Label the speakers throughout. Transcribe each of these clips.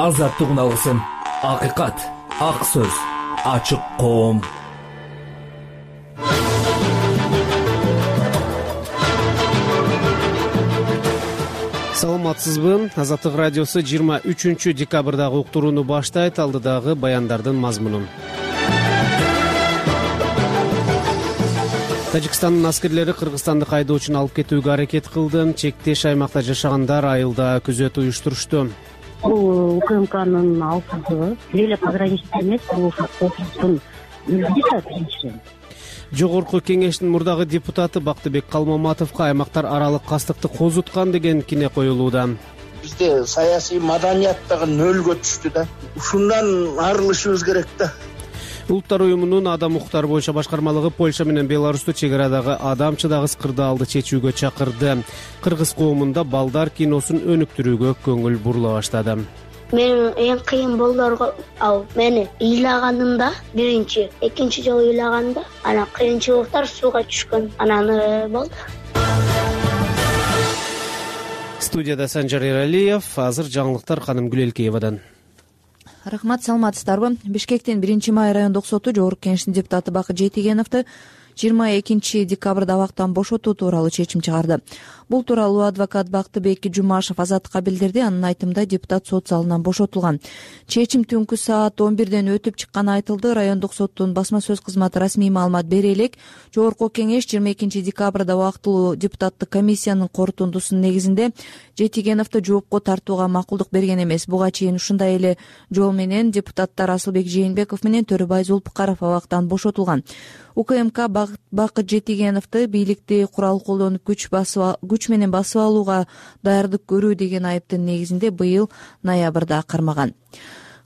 Speaker 1: азаттык үналысын. Акыйкат, ак сөз, ачык коом.
Speaker 2: Саламатсызбы? Азаттык радиосу 23 декабрдагы уктурууну баштайт. Алдыдагы баяндардын мазмунун. Тажикстандын аскерлери кыргызстандык айдоочуну алып кетүүгө аракет кылды. Чектеш аймакта жашагандар айылда күзөт уюштурушту.
Speaker 3: Бул УКМКнын алсыздыгы эле пограничник эмес, бул коопсуздуктун үлгүсү биринчиден.
Speaker 2: Жогорку кеңештин мурдагы депутаты Бактыбек Калмаматовго аймактар аралык кастыкты козуткан деген кине коюлууда.
Speaker 4: Бизде саясий маданият дагы нөлгө түштү да. Ушундан арылышыбыз керек да.
Speaker 2: Улуттар уюмунун адам укуктары боюнча башкармалыгы Польша менен Беларусту чек арадагы адамчыдагы скырдаалды чечүүгө чакырды. Кыргыз коомунда балдар киносун өнүктүрүүгө көңүл бурула баштады.
Speaker 5: Менин эң кыйын болдорго мени ыйлаганымда, биринчи, экинчи жолу ыйлаганда, анан кыйынчылыктар сууга түшкөн, анан болду.
Speaker 2: Студияда Санжар Эралиев, азыр жаңылыктар Ханым Гүлелкеевадан.
Speaker 6: Рахмат, саламатсыздарбы? Бишкектин 1-май райондук соту жогорку кеңештин депутаты Бакыт Жетигеновду 22 декабрда абактан бошотуу тууралуу чечим чыгарды. Бул тууралуу адвокат Бактыбек Жумашев Азаттыкка билдирди. Анын айтымында депутат сот залынан бошотулган. Чечим түнкү саат 11ден өтүп чыкканы айтылды. Райондук соттун басма сөз кызматы расмий маалымат бере элек. Жогорку кеңеш 22 декабрда убактылуу депутаттык комиссиянын корутундусунун негизинде Жетигеновду жоопко тартууга макулдук берген эмес. Буга чейин ушундай эле жол менен депутаттар Асылбек Жээнбеков менен Төрөбай Зулпукаров абактан бошотулган. УКМК Бакыт Жетигеновду бийликти курал колдонуп күч менен басып алууга даярдык көрүү деген айыптын негизинде быйыл ноябрда кармаган.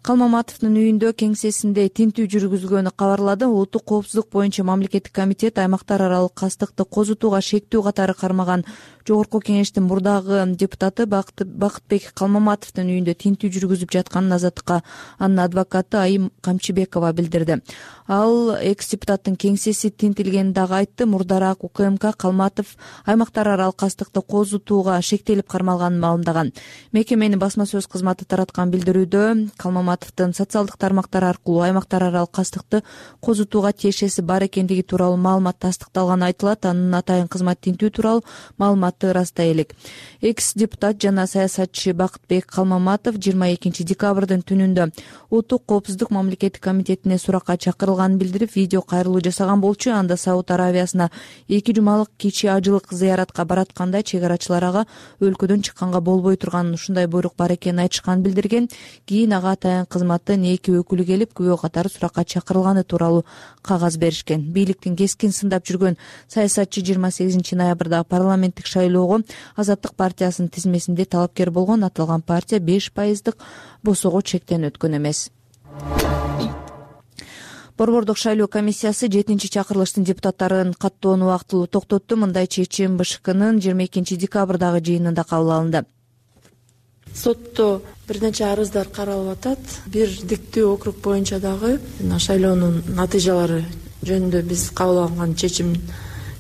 Speaker 6: Калмаматовдун үйүндө кеңсесинде тинтүү жүргүзүлгөнү кабарлады. Улуттук коопсуздук боюнча мамлекеттик комитет аймактар аралык кастыкты козутууга шектүү катары кармаган жогорку кеңештин мурдагы депутаты Бакытбек Калмаматовдун үйүндө тинтүү жүргүзүп жатканын Азаттыкка анын адвокаты Айым Камчыбекова билдирди. Ал экс-депутаттын кеңсеси тинтилгенин дагы айтты. Мурдараак УКМК Калматов аймактар аралык кастыкты козутууга шектелип кармалганын маалымдаган. Мекеменин басма сөз кызматы тараткан билдирүүдө Калмаматовдун социалдык тармактар аркылуу аймактар аралык кастыкты козутууга тиешеси бар экендиги тууралуу маалымат тастыкталганы айтылат. Анын атайын кызмат тинтүү тууралуу маалыматты ырастай элек. Экс-депутат жана саясатчы Бактыбек Калмаматов 22 декабрдын түнүндө Улуттук коопсуздук мамлекеттик комитетине суракка чакырылганын билдирип, видео кайрылуу жасаган болчу. Анда Сауд Аравиясына 2 жумалык кичи ажылык зыяратка баратканда чек арачылар ага өлкөдөн чыкканга болбой турганын, ушундай буйрук бар экенин айтышканын билдирген. Кийин ага атайын кызматтын 2 өкүлү келип, күбө катары суракка чакырылганы тууралуу кагаз беришкен. Бийликтин кескин сындап жүргөн саясатчы 28 ноябрда парламенттик шайлоого Азаттык партиясынын тизмесинде талапкер болгон. Аталган партия 5% босого чектен өткөн эмес. Борбордук шайлоо комиссиясы 7-чакырылыштын депутаттарын каттоону убактылуу токтотту. Мындай чечим БШКнын 22 декабрдагы жыйынында кабыл алынды.
Speaker 7: Сотто бир нече арыздар каралып атат. Бир диктүү округ боюнча дагы шайлоонун натыйжалары жөнүндө биз кабыл алган чечим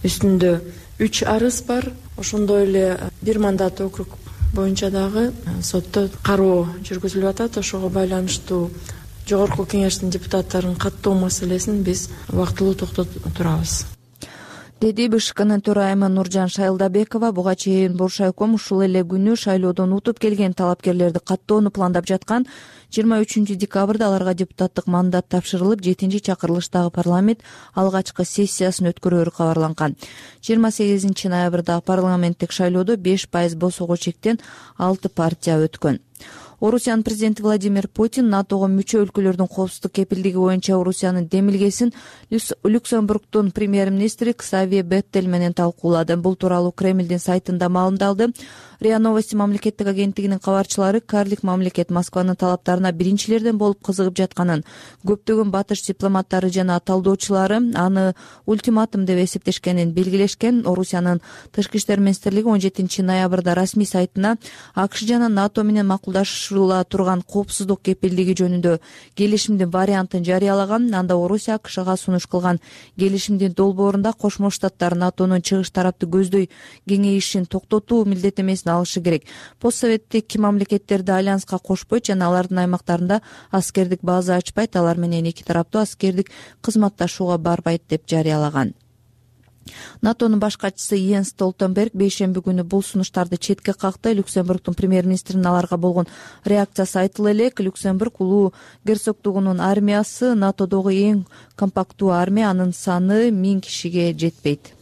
Speaker 7: үстүндө 3 арыз бар. Ошондой эле бир мандат округ боюнча дагы сотто кароо жүргүзүлүп атат. Ошого байланыштуу жогорку кеңештин депутаттарын каттоо маселесин биз убактылуу токтотуп турабыз,
Speaker 6: деди БШКнын төрайымы Нуржан Шайлдабекова. Буга чейин Боршайком ушул эле күнү шайлоодон утуп келген талапкерлерди каттоону пландап жаткан. 23 декабрда аларга депутаттык мандат тапшырылып, 7-чакырылыштагы парламент алгачкы сессиясын өткөрөөрү кабарланган. 28 ноябрда парламенттик шайлоодо 5% босого чектен 6 партия өткөн. Орусиянын президенти Владимир Путин НАТОго мүчө өлкөлөрдүн коопсуздук кепилдиги боюнча Орусиянын демилгесин Люксембургдун премьер-министри Ксавие Беттель менен талкуулады. Бул тууралуу Кремлдин сайтында маалымдалды. РИА Новости мамлекеттик агенттигинин кабарчылары карлик мамлекет Москванын талаптарына биринчилерден болуп кызыгып жатканын, көптөгөн батыш дипломаттары жана талдоочулары аны ультиматум деп эсептешкенин белгилешкен. Орусиянын тышкы иштер министрлиги 17 ноябрда расмий сайтына АКШ жана НАТО менен макулдашуу отурушула турган коопсуздук кепилдиги жөнүндө келишимдин вариантын жарыялаган. Анда Орусия АКШга сунуш кылган келишимдин долбоорунда Кошмо Штаттар НАТОнун чыгыш тарапты көздөй кеңейишин токтотуу милдеттемесин алышы керек. Постсоветтик мамлекеттерди альянска кошпойт жана алардын аймактарында аскердик база ачпайт, алар менен эки тараптуу аскердик кызматташууга барбайт деп жарыялаган. НАТОнун баш катчысы Йенс Столтенберг бейшемби күнү бул сунуштарды четке какты. Люксембургдун премьер-министринин аларга болгон реакциясы айтыла элек. Люксембург улуу герцогдугунун армиясы НАТОдогу эң компактуу армия, анын саны 1000 кишиге жетпейт.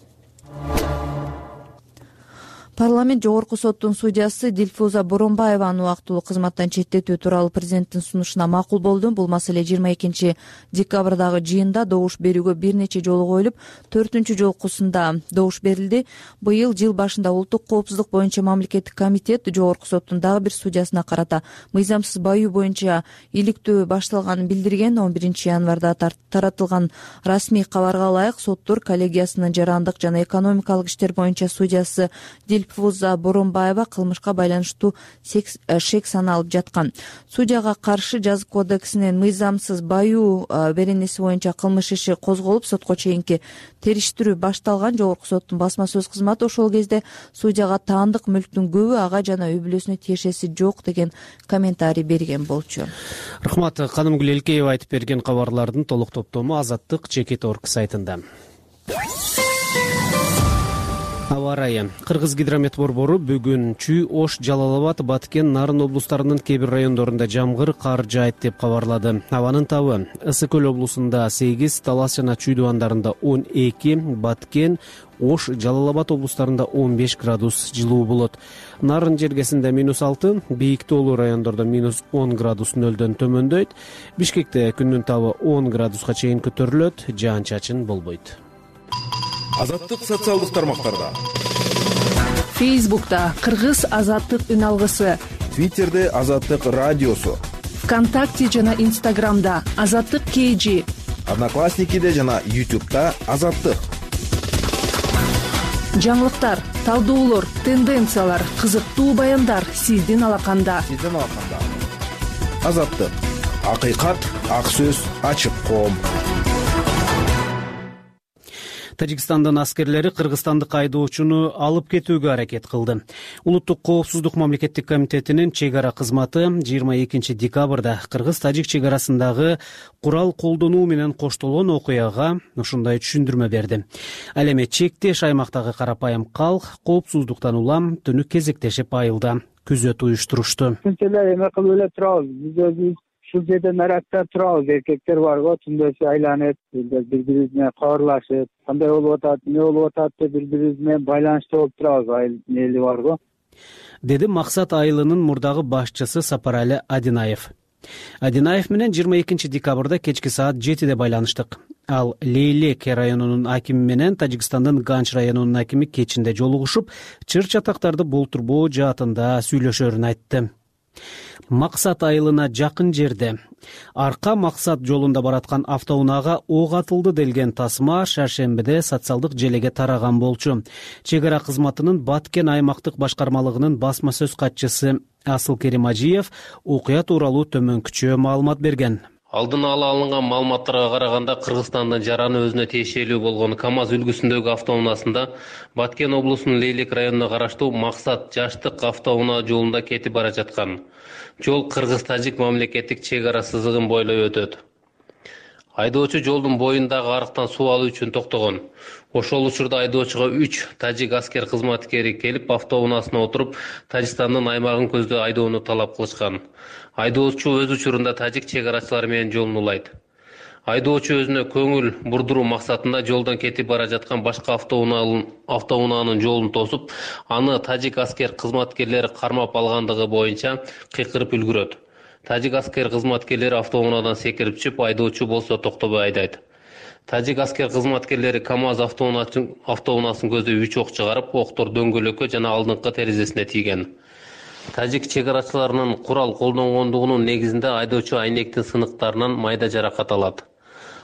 Speaker 6: Парламент жогорку соттун судьясы Дилфуза Боронбаеваны убактылуу кызматтан четтетүү тууралуу президенттин сунушуна макул болду. Бул маселе 22 декабрдагы жыйында добуш берүүгө бир нече жолу коюлуп, 4-жолкусунда добуш берилди. Быйыл жыл башында улуттук коопсуздук боюнча мамлекеттик комитет жогорку соттун дагы бир судьясына карата мыйзамсыз баюу боюнча иликтөө башталганын билдирген. 11 январда таратылган расмий кабарга ылайык соттор коллегиясынын жарандык жана экономикалык иштер боюнча судьясы Дилфуза Боронбаева кылмышка байланыштуу шек саналып жаткан. Судьяга каршы жазык кодексинин мыйзамсыз баюу беренеси боюнча кылмыш иши козголуп, сотко чейинки териштирүү башталган. Жогорку соттун басма сөз кызматы ошол кезде судьяга таандык мүлктүн көбү ага жана үй бүлөсүнө тиешеси жок деген комментарий берген болчу.
Speaker 2: Рахмат. Канымгүл Элкеева айтып берген кабарлардын толук топтому Азаттык Чекит.орг сайтында. Аба ырайы. Кыргыз гидромет борбору бүгүн Чүй, Ош, Жалал Абад, Баткен, Нарын облустарынын кээ бир райондорунда жамгыр, кар жаайт деп кабарлады. Абанын табы Ысык Көл облусунда 8, Талас жана Чүй дубандарында 12, Баткен, Ош, Жалал Абад облустарында 15 градус жылуу болот. Нарын жергесинде -6, бийик тоолуу райондордо -10 градус нөлдөн төмөндөйт. Бишкекте күндүн табы 10 градуска чейин көтөрүлөт, жаан-чачын болбойт.
Speaker 8: Азаттык социалдык тармактарда.
Speaker 9: Фейсбукта Кыргыз Азаттык үн алгысы,
Speaker 8: Твиттерде Азаттык радиосу,
Speaker 9: ВКонтакте жана Инстаграмда Азаттык KG,
Speaker 8: Одноклассникиде жана YouTube'да Азаттык.
Speaker 9: Жаңылыктар, талдоолор, тенденциялар, кызыктуу баяндар сиздин алаканда.
Speaker 8: Азаттык. Акыйкат, ак сөз, ачык коом.
Speaker 2: Тажикстандын аскерлери кыргызстандык айдоочуну алып кетүүгө аракет кылды. Улуттук коопсуздук мамлекеттик комитетинин чек ара кызматы 22 декабрда кыргыз-тажик чек арасындагы курал колдонуу менен коштолгон окуяга ушундай түшүндүрмө берди. Ал эми чектеш аймактагы карапайым калк коопсуздуктан улам түнү кезектешип айылда күзөт уюштурушту.
Speaker 10: Эле эме кылып эле турабыз. Биз өзүбүз ушул жерде наракта турабыз. Эркектер барго түндөсү айланып, бири-бири менен кабарлашып, кандай болуп атат, эмне болуп атат деп бири-бири менен байланышта болуп турабыз. Айыл эли барго.
Speaker 2: Деди Максат айылынын мурдагы башчысы Сапарали Адинаев. Адинаев менен 22 декабрда кечки саат 7де байланыштык. Ал Лейлек районунун акими менен Тажикстандын Ганч районунун акими кечинде жолугушуп, чыр-чатактарды болтурбоо жаатында сүйлөшөрүн айтты. Максат айылына жакын жерде Арка Максат жолунда бараткан автоунаага ок атылды делген тасма шаршембиде социалдык желеге тараган болчу. Чек ара кызматынын Баткен аймактык башкармалыгынын басма сөз катчысы Асыл Керимажиев окуя тууралуу төмөнкүчө маалымат берген.
Speaker 11: Алдын ала алынган маалыматтарга караганда Кыргызстандын жараны өзүнө тиешелүү болгон КАМАЗ үлгүсүндөгү автоунаасында Баткен облусунун Лейлек районуна караштуу Максат жаштык автоунаа жолунда кетип бара жаткан. Жол Кыргыз-Тажик мамлекеттик чек ара сызыгын бойлой өтөт. Айдоочу жолдун боюндагы арыктан суу алуу үчүн токтогон. Ошол учурда айдоочуга 3 тажик аскер кызматкери келип автоунаасына отуруп, Тажикстандын аймагын көздөй айдоону талап кылышкан. Айдоочу өз учурунда тажик чек арачылары менен жолун улайт. Айдоочу өзүнө көңүл бурдуруу максатында жолдон кетип бара жаткан башка автоунаанын жолун тосуп, аны тажик аскер кызматкерлери кармап алгандыгы боюнча кыйкырып үлгүрөт. Тажик аскер кызматкерлери автоунаадан секирип чыгып, айдоочу болсо токтобой айдайт. Тажик аскер кызматкерлери КАМАЗ автоунаасын көздөй 3 ок чыгарып, октор дөңгөлөккө жана алдыңкы терезесине тийген. Тажик чек арачыларынын курал колдонгондугунун негизинде айдоочу айнектин сыныктарынан майда жаракат алат.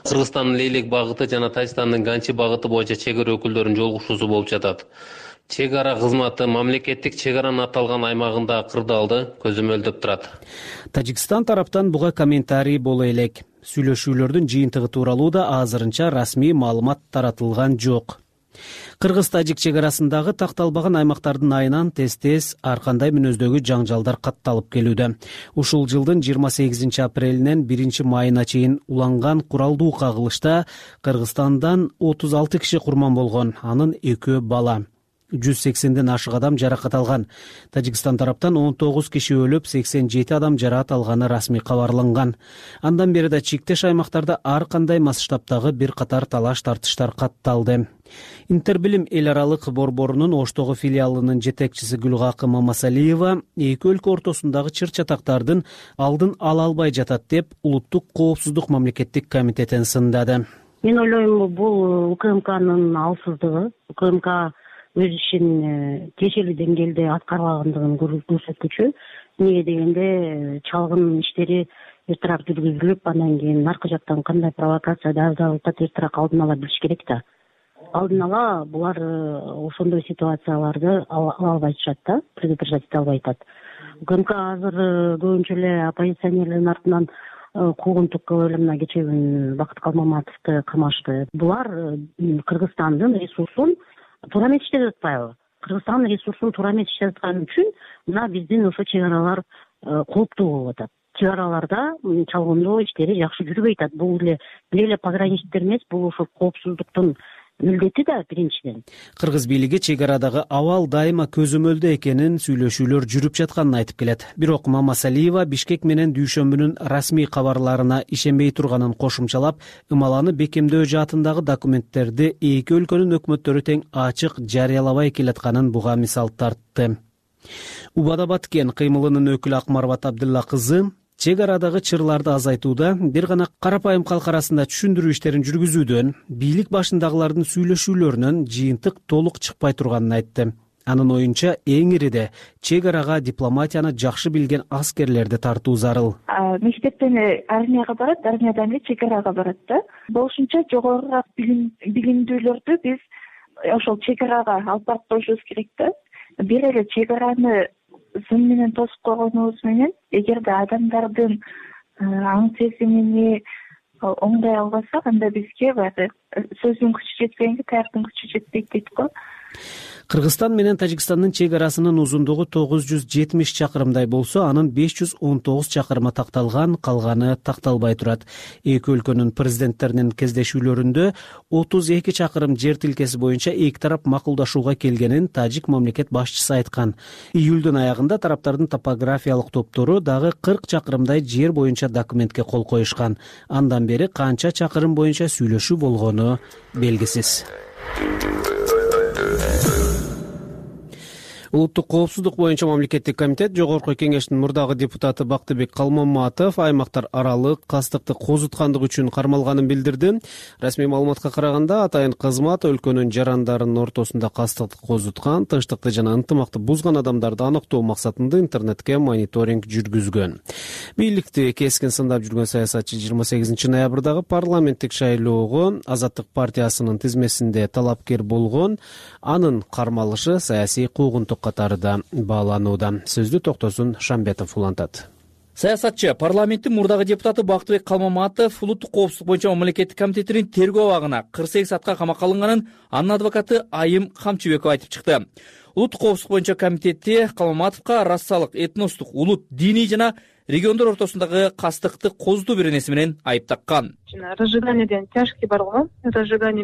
Speaker 11: Кыргызстандын Лейлек багыты жана Тажикстандын Ганчи багыты боюнча чек ара өкүлдөрүнүн жолугушуусу болуп жатат. Чек ара кызматы мамлекеттик чек аранын аталган аймагында кырдаалды көзөмөлдөп турат.
Speaker 2: Тажикстан тараптан буга комментарий боло элек. Сүйлөшүүлөрдүн жыйынтыгы тууралуу да азырынча расмий маалымат таратылган жок. Кыргыз-тажик чек арасындагы такталбаган аймактардын айынан тез-тез ар кандай мүнөздөгү жаңжалдар катталып келүүдө. Ушул жылдын 28 апрелинен 1 майына чейин уланган куралдуу кагылышта Кыргызстандан 36 киши курман болгон, анын 2 бала. 180ден ашык адам жаракат алган. Тажикстан тараптан 19 киши өлүп, 87 адам жараат алганы расмий кабарланган. Андан бери да чектеш аймактарда ар кандай масштабтагы бир катар талаш-тартыштар катталды. Интербилим эл аралык борборунун Оштогу филиалынын жетекчиси Гүлгакы Мамасалиева эки өлкө ортосундагы чыр-чатактардын алдын ала албай жатат деп Улуттук коопсуздук мамлекеттик комитетин сындады.
Speaker 3: Мен ойлойм, бул УКМКнын алсыздыгы, УКМК өз ишин тиешелүү деңгээлде аткарбагандыгын көрсөткүчү. Эмнеге дегенде чалгын иштери эртерээк жүргүзүлүп, андан кийин наркы жактан кандай провокация дагы эртерээк алдын ала билиш керек да. Алдын ала булар ошондой ситуацияларды ала албай жатышат да, предотвращать эте албай жатат. УКМК азыр көбүнчө эле оппозиционерлердин артынан куугунтук кылып эле мына кечээ күн Бакыт Калмаматовду камашты. Булар Кыргызстандын ресурсун туура эмес иштеп атпайбы? Кыргызстандын ресурсун туура эмес иштеп атканы үчүн мына биздин ошо чек аралар кооптуу болуп атат. Чек араларда чалгындоо иштери жакшы жүрбөй атат. Бул эле пограничниктер эмес, бул ошо коопсуздуктун милдети да биринчиден.
Speaker 2: Кыргыз бийлиги чек арадагы абал дайыма көзөмөлдө экенин, сүйлөшүүлөр жүрүп жатканын айтып келет. Бирок Мамасалиева Бишкек менен Дүйшөмбүнүн расмий кабарларына ишенбей турганын кошумчалап, ымаланы бекемдөө жаатындагы документтерди эки өлкөнүн өкмөттөрү тең ачык жарыялабай келатканын буга мисал тартты. Убада Баткен кыймылынын өкүлү Акмарбат Абдулла кызы чек арадагы чырларды азайтууда бир гана карапайым калк арасында түшүндүрүү иштерин жүргүзүүдөн, бийлик башындагылардын сүйлөшүүлөрүнөн жыйынтык толук чыкпай турганын айтты. Анын оюнча эң ириде чек арага дипломатияны жакшы билген аскерлерди тартуу зарыл.
Speaker 12: Мектептен армияга барат, армиядан эле чек арага барат да. Болушунча жогорураак билимдүүлөрдү биз ошол чек арага алып барып коюшубуз керек да. Бир эле чек араны зым менен тосуп койгонубуз менен, эгерде адамдардын аң сезимини оңдой албасак, анда бизге баягы сөздүн күчү жетпегенге таяктын күчү жетпейт дейт го.
Speaker 2: Кыргызстан менен Тажикстандын чек арасынын узундугу 970 чакырымдай болсо, анын 519 чакырымы такталган, калганы такталбай турат. Эки өлкөнүн президенттеринин кездешүүлөрүндө 32 чакырым жер тилкеси боюнча эки тарап макулдашууга келгенин тажик мамлекет башчысы айткан. Июлдун аягында тараптардын топографиялык топтору дагы 40 чакырымдай жер боюнча документке кол коюшкан. Андан бери канча чакырым боюнча сүйлөшүү болгону белгисиз. Улуттук коопсуздук боюнча мамлекеттик комитет Жогорку Кеңештин мурдагы депутаты Бактыбек Калмаматов аймактар аралык кастыкты козуткандыгы үчүн кармалганын билдирди. Расмий маалыматка караганда, атайын кызмат өлкөнүн жарандарынын ортосунда кастыкты козуткан, тынчтыкты жана ынтымакты бузган адамдарды аныктоо максатында интернетке мониторинг жүргүзгөн. Бийликти кескин сындап жүргөн саясатчы 28 ноябрдагы парламенттик шайлоого Азаттык партиясынын тизмесинде талапкер болгон, анын кармалышы саясий куугунтук катары да бааланууда. Сөздү Токтосун Шамбетов улантат.
Speaker 13: Саясатчы парламенттин мурдагы депутаты Бактыбек Калмаматов Улуттук коопсуздук боюнча мамлекеттик комитетинин тергөө абагына 48 саатка камакка алынганын анын адвокаты Айым Камчыбекова айтып чыкты. Улуттук коопсуздук боюнча комитети Калмаматовго расалык, этностук, улут, диний жана региондор ортосундагы кастыкты козутуу беренеси менен айып таккан.
Speaker 14: Разжиганиеден тяжкий бар го, разжигание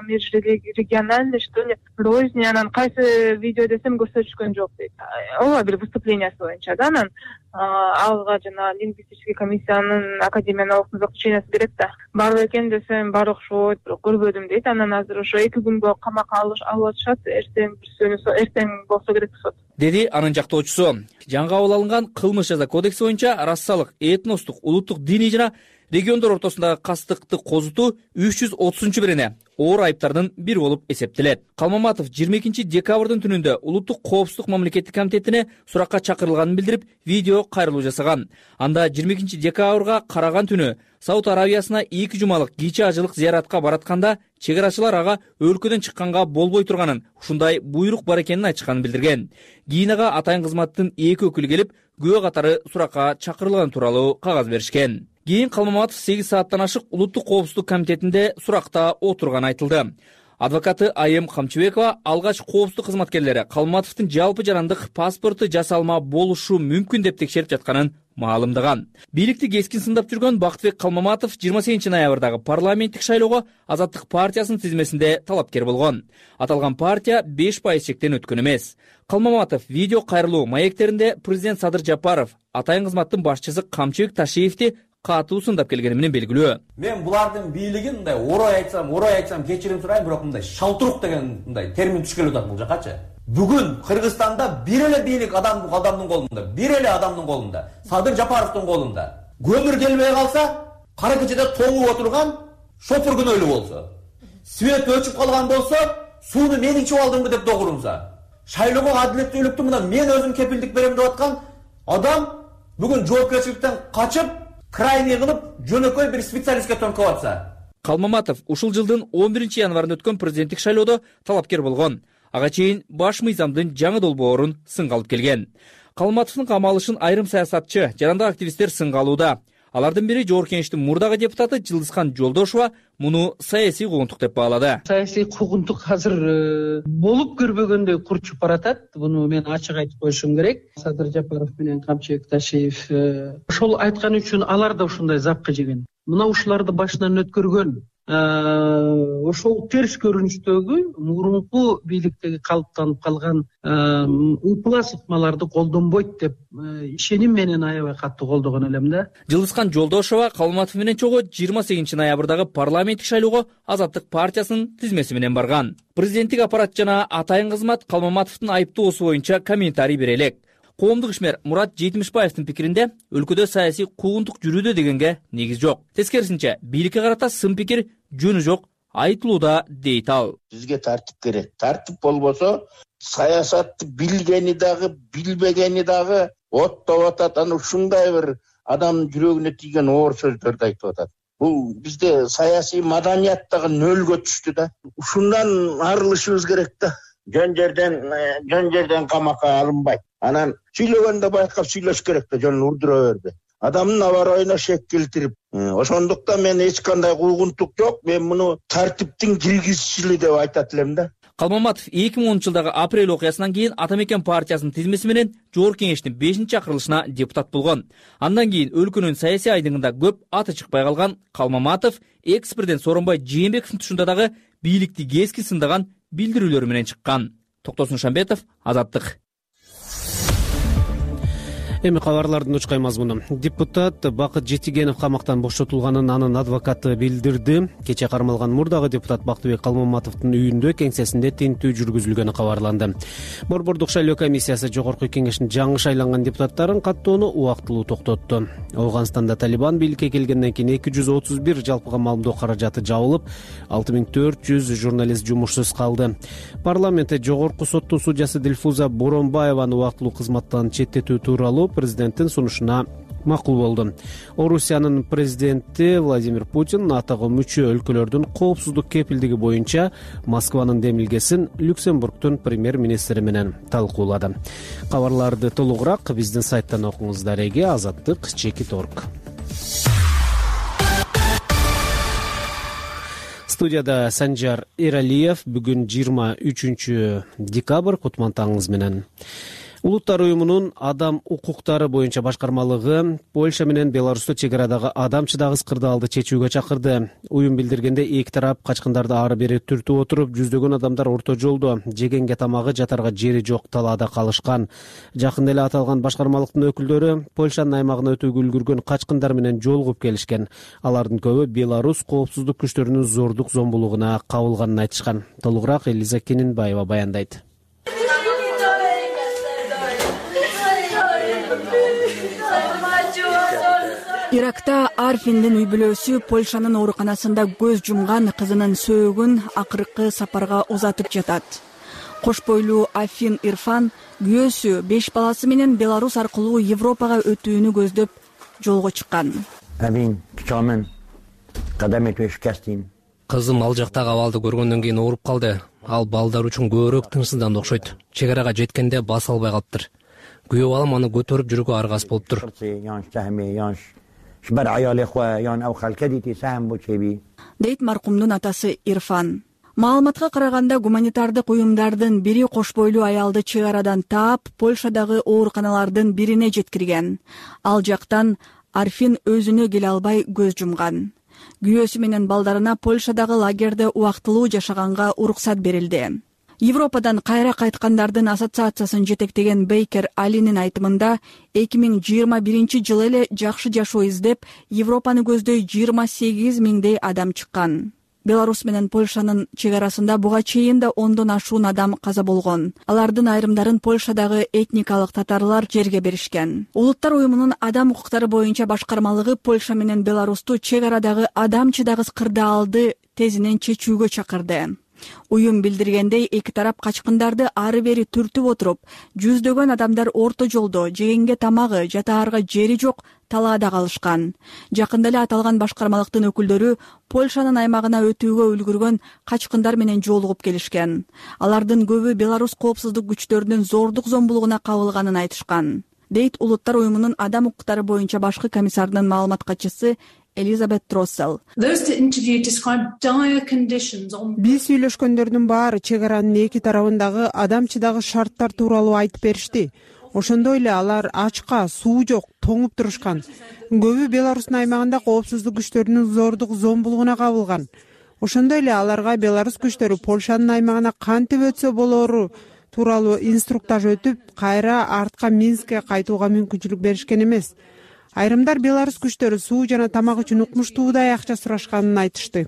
Speaker 14: межрегиональный, что ли, розни, анан кайсы видео десем көрсөтүшкөн жок дейт. Ооба бир выступление боюнча да, анан алга жана лингвистический комиссиянын академиянын окуп заключениясы берет да. Бар экен десем, бар окшойт, бирок көрбөдүм дейт. Анан азыр ошо 2 күнгө камакка алып атышат, эртең болсо керек сот.
Speaker 13: Деди анын жактоочусу. Жаңы кабыл алынган кылмыш жаза кодекси боюнча расалык, этностук, улуттук, диний жана Региондор ортосундагы кастыкты козутуу 330-бирине оор айыптардын бири болуп эсептелет. Калмаматов 22 декабрдын түнүндө Улуттук коопсуздук мамлекеттик комитетине суракка чакырылганын билдирип, видео кайрылуу жасаган. Анда 22 декабрга караган түнү Сауд Арабиясына 2 жумалык кичи ажылык зыяратка баратканда чек-арачылар ага өлкөдөн чыкканга болбой турганын, ушундай буйрук бар экенин айтышканын билдирген. Кийин ага атайын кызматтын 2 өкүлү келип, күбө катары суракка чакырылган тууралуу кагаз беришкен. Кийин Калмаматов 8 сааттан ашык Улуттук коопсуздук комитетинде суракта отурганы айтылды. Адвокаты Айым Камчыбекова алгач коопсуздук кызматкерлери Калмаматовдун жалпы жарандык паспорту жасалма болушу мүмкүн деп текшерип жатканын маалымдаган. Бийликти кескин сындап жүргөн Бактыбек Калмаматов 28 ноябрдагы парламенттик шайлоого Азаттык партиясынын тизмесинде талапкер болгон. Аталган партия 5% чектен өткөн эмес. Калмаматов видео кайрылуу маектеринде президент Садыр Жапаров, атайын кызматтын башчысы Камчыбек Ташиевди катуу сындап келгени менен белгилүү.
Speaker 15: Мен булардын бийлигин мындай орой айтсам кечирим сурайм, бирок мындай шалтурук деген мындай термин түшкөлүп атат бул жакачы. Бүгүн Кыргызстанда бир эле бийлик адамдын колунда, бир эле адамдын колунда, Садыр Жапаровдун колунда. Көмүр келбей калса, кара кечеде тоңуп отурган шофер күнөөлүү болсо, свет өчүп калган болсо, сууну мен ичип алдымбы деп догурумса, шайлоого адилеттүүлүктү мына мен өзүм кепилдик берем деп аткан адам бүгүн жоопкерчиликтен качып, крайний кылып, жөнөкөй бир специалистке төнкөп атса.
Speaker 13: Калмаматов ушул жылдын 11 январында өткөн президенттик шайлоодо талапкер болгон. Ага чейин баш мыйзамдын жаңы долбоорун сынга алып келген. Калмаматовдун камалышын айрым саясатчы, жарандык активисттер сынга алууда. Алардын бири Жогорку Кеңештин мурдагы депутаты Жылдызхан Жолдошова муну саясий куугунтук деп баалады.
Speaker 16: Саясий куугунтук азыр болуп көрбөгөндөй курчуп баратат. Буну мен ачык айтып коюшум керек. Садыр Жапаров менен Камчыбек Ташиев ошол айткан үчүн алар да ушундай запкы жеген. Мына ушуларды башынан өткөргөн. Ошол терс көрүнүштөгү мурунку бийликтеги калыптанып калган ыплас ыкмаларды колдонбойт деп ишеним менен аябай катуу колдогон элем да.
Speaker 13: Жылдызхан Жолдошова Калмаматов менен чогуу 28 ноябрдагы парламенттик шайлоого Азаттык партиясынын тизмеси менен барган. Президенттик аппарат жана атайын кызмат Калмаматовдун айыптоосу боюнча комментарий бере элек. Коомдук ишмер Мурат Жетимишбаевдин пикиринде өлкөдө саясий куугунтук жүрүүдө дегенге негиз жок. Тескерисинче, бийликке карата сын пикир жөнү жок айтылууда дейт ал.
Speaker 4: Бизге тартип керек. Тартип болбосо саясатты билгени дагы, билбегени дагы оттоп атат. Аны ушундай бир адамдын жүрөгүнө тийген оор сөздөрдү айтып атат. Бул бизде саясий маданият дагы нөлгө түштү да. Ушундан арылышыбыз керек да. Жөн жерден камакка алынбайт. Анан сүйлөгөндө байкап сүйлөш керек да, жөн урдура берди. Адамдын абаройуна шек келтирип, ошондуктан мен эч кандай куугунтук жок, мен муну тартиптин киргизчили деп айтат элем да.
Speaker 13: Калмаматов 2010 жылдагы апрель окуясынан кийин Ата Мекен партиясынын тизмеси менен Жогорку Кеңештин 5-чакырылышына депутат болгон. Андан кийин өлкөнүн саясий айдыгында көп аты чыкпай калган Калмаматов экс-президент Сооронбай Жээнбековдун тушунда дагы бийликти кескин сындаган билдирүүлөрү менен чыккан. Токтосун Шамбетов, Азаттык.
Speaker 2: Эми кабарлардын учкай мазмуну. Депутат Бакыт Жетигенов камактан бошотулганын анын адвокаты билдирди. Кече кармалган мурдагы депутат Бактыбек Калмаматовдун үйүндө кеңсесинде тинтүү жүргүзүлгөнү кабарланды. Борбордук шайлоо комиссиясы Жогорку Кеңештин жаңы шайланган депутаттарын каттоону убактылуу токтотту. Афганстанда Талибан бийликке келгенден кийин 231 жалпыга маалымдоо каражаты жабылып, 6400 журналист жумушсуз калды. Парламентте Жогорку соттун судьясы Дилфуза Боронбаеваны убактылуу кызматтан четтетүү тууралуу президенттин сунушуна макул болду. Орусиянын президенти Владимир Путин НАТОго мүчө өлкөлөрдүн коопсуздук кепилдиги боюнча Москванын демилгесин Люксембургдун премьер-министри менен талкуулады. Кабарларды толугураак биздин сайттан окуңуздар. Азаттык.org. Студияда Санжар Эралиев. Бүгүн 23 декабрь, кутман таңыңыз менен. Улуттар уюмунун адам укуктары боюнча башкармалыгы Польша менен Беларусьта чек арадагы адам чыдагыс кырдаалды чечүүгө чакырды. Уюм билдиргенде эки тарап качкындарды ары бери түртүп отуруп, жүздөгөн адамдар орто жолдо, жегенге тамагы, жатарга жери жок талаада калышкан. Жакында эле аталган башкармалыктын өкүлдөрү Польшанын аймагына өтүүгө үлгүргөн качкындар менен жолугуп келишкен. Алардын көбү Беларусь коопсуздук күчтөрүнүн зордук зомбулугуна кабылганын айтышкан. Толугураак Элиза Кенинбаева баяндайт.
Speaker 17: Иракта Арфиндин үй бүлөсү Польшанын ооруканасында көз жумган кызынын сөөгүн акыркы сапарга узатып жатат. Кош бойлуу Афин Ирфан күйөөсү 5 баласы менен Беларусь аркылуу Европага өтүүнү көздөп жолго чыккан.
Speaker 18: Кызым ал жактагы абалды көргөндөн кийин ооруп калды. Ал балдар үчүн көбүрөөк тынчсызданды окшойт. Чек арага жеткенде баса албай калыптыр. Күйөө балам аны көтөрүп жүрүүгө аргасыз болуптур.
Speaker 17: Дейт маркумдун атасы Ирфан. Маалыматка караганда гуманитардык уюмдардын бири кош бойлуу аялды чек арадан таап, Польшадагы ооруканалардын бирине жеткирген. Ал жактан Арфин өзүнө келе албай көз жумган. Күйөөсү менен балдарына Польшадагы лагерде убактылуу жашаганга уруксат берилди. Европадан кайра кайткандардын ассоциациясын жетектеген Бейкер Алинин айтымында 2021 эле жакшы жашоо издеп, Европаны көздөй 28 миңдей адам чыккан. Беларусь менен Польшанын чек арасында буга чейин да 10дон ашуун адам каза болгон. Алардын айрымдарын Польшадагы этникалык татарлар жерге беришкен. Улуттар уюмунун адам укуктары боюнча башкармалыгы Польша менен Беларусту чек арадагы адам чыдагыс кырдаалды тезинен чечүүгө чакырды. Уюм билдиргендей, эки тарап качкындарды ары бери түртүп отуруп, жүздөгөн адамдар орто жолдо жегенге тамагы, жатаарга жери жок талаада калышкан. Жакында эле аталган башкармалыктын өкүлдөрү Польшанын аймагына өтүүгө үлгүргөн качкындар менен жолугуп келишкен. Алардын көбү Беларусь коопсуздук күчтөрүнүн зордук зомбулугуна кабылганын айтышкан. Дейт Улуттар уюмунун адам укуктары боюнча башкы комиссарынын маалымат катчысы Элизабет Троссел.
Speaker 19: Биз сүйлөшкөндөрдүн баары чек аранын эки тарабындагы адам чыдагыс шарттар тууралуу айтып беришти. Ошондой эле алар ачка, суу жок, тоңуп турушкан. Көбү Беларустун аймагында коопсуздук күчтөрүнүн зордук зомбулугуна кабылган. Ошондой эле аларга Беларусь күчтөрү Польшанын аймагына кантип өтсө болору тууралуу инструктаж өтүп, кайра артка Минскке кайтууга мүмкүнчүлүк беришкен эмес. Айрымдар Беларусь күчтөрү суу жана тамак үчүн укмуштуудай акча сурашканын айтышты.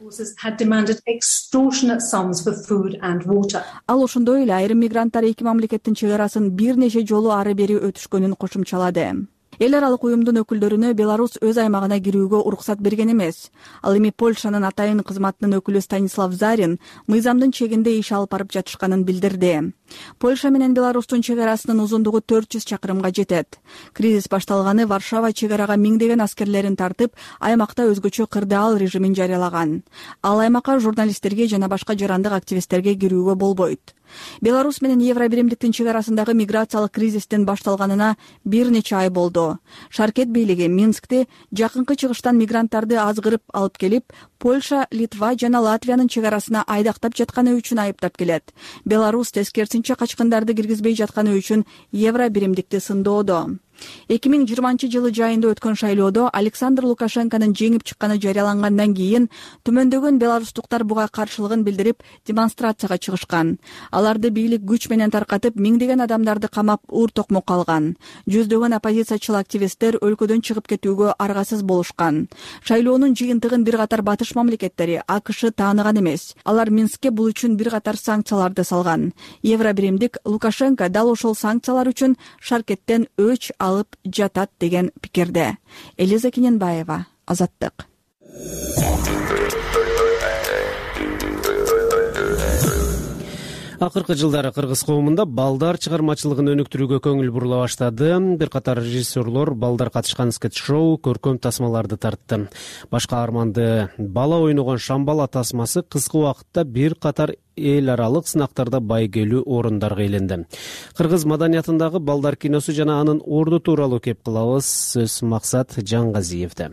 Speaker 17: Ал ошондой эле айрым мигранттар эки мамлекеттин чек арасын бир нече жолу ары бери өтүшкөнүн кошумчалады. Эл аралык уюмдун өкүлдөрүнө Беларусь өз аймагына кирүүгө уруксат берген эмес. Ал эми Польшанын атайын кызматынын өкүлү Станислав Зарин мыйзамдын чегинде иш алып барып жатышканын билдирди. Польша менен Беларустун чек арасынын узундугу 400 чакырымга жетет. Кризис башталганы Варшава чек арага миңдеген аскерлерин тартып, аймакта өзгөчө кырдаал режимин жарыялаган. Ал аймакка журналисттерге жана башка жарандык активисттерге кирүүгө болбойт. Беларусь менен Евробиримдиктин чек арасындагы миграциялык кризистин башталганына бир нече ай болду. Шаркет бийлиги Минскте жакынкы чыгыштан мигранттарды азгырып алып келип, Польша, Литва жана Латвиянын чек арасына айдактап жатканы үчүн айыптап келет. Беларусь тескерисинче качкындарды киргизбей жатканы үчүн Евробиримдикти сындоодо. 2020 жылы жайында өткөн шайлоодо Александр Лукашенконун жеңип чыкканы жарыялангандан кийин төмөндөгөн беларустуктар буга каршылыгын билдирип демонстрацияга чыгышкан. Аларды бийлик күч менен таркатып, миңдеген адамдарды камап, уур токмок калган. Жүздөгөн оппозициячыл активисттер өлкөдөн чыгып кетүүгө аргасыз болушкан. Шайлоонун жыйынтыгын бир катар батыш мамлекеттери АКШ тааныган эмес. Алар Минскке бул үчүн бир катар санкцияларды салган. Евробиримдик Лукашенко дал ошол санкциялар үчүн шаркеттен өч алып жатат деген пикирде. Элиза Кененбаева, Азаттык.
Speaker 2: Акыркы жылдары кыргыз коомунда балдар чыгармачылыгын өнүктүрүүгө көңүл бурула баштады. Бир катар режиссерлор балдар катышкан скетч-шоу, көркөм тасмаларды тартты. Баш каарманды бала ойногон Шамбала тасмасы кыска убакытта бир катар эл аралык сынактарда байгелүү орундарга ээленди. Кыргыз маданиятындагы балдар киносу жана анын орду тууралуу кеп кылабыз. Сөз Максат Жаңгазиевде.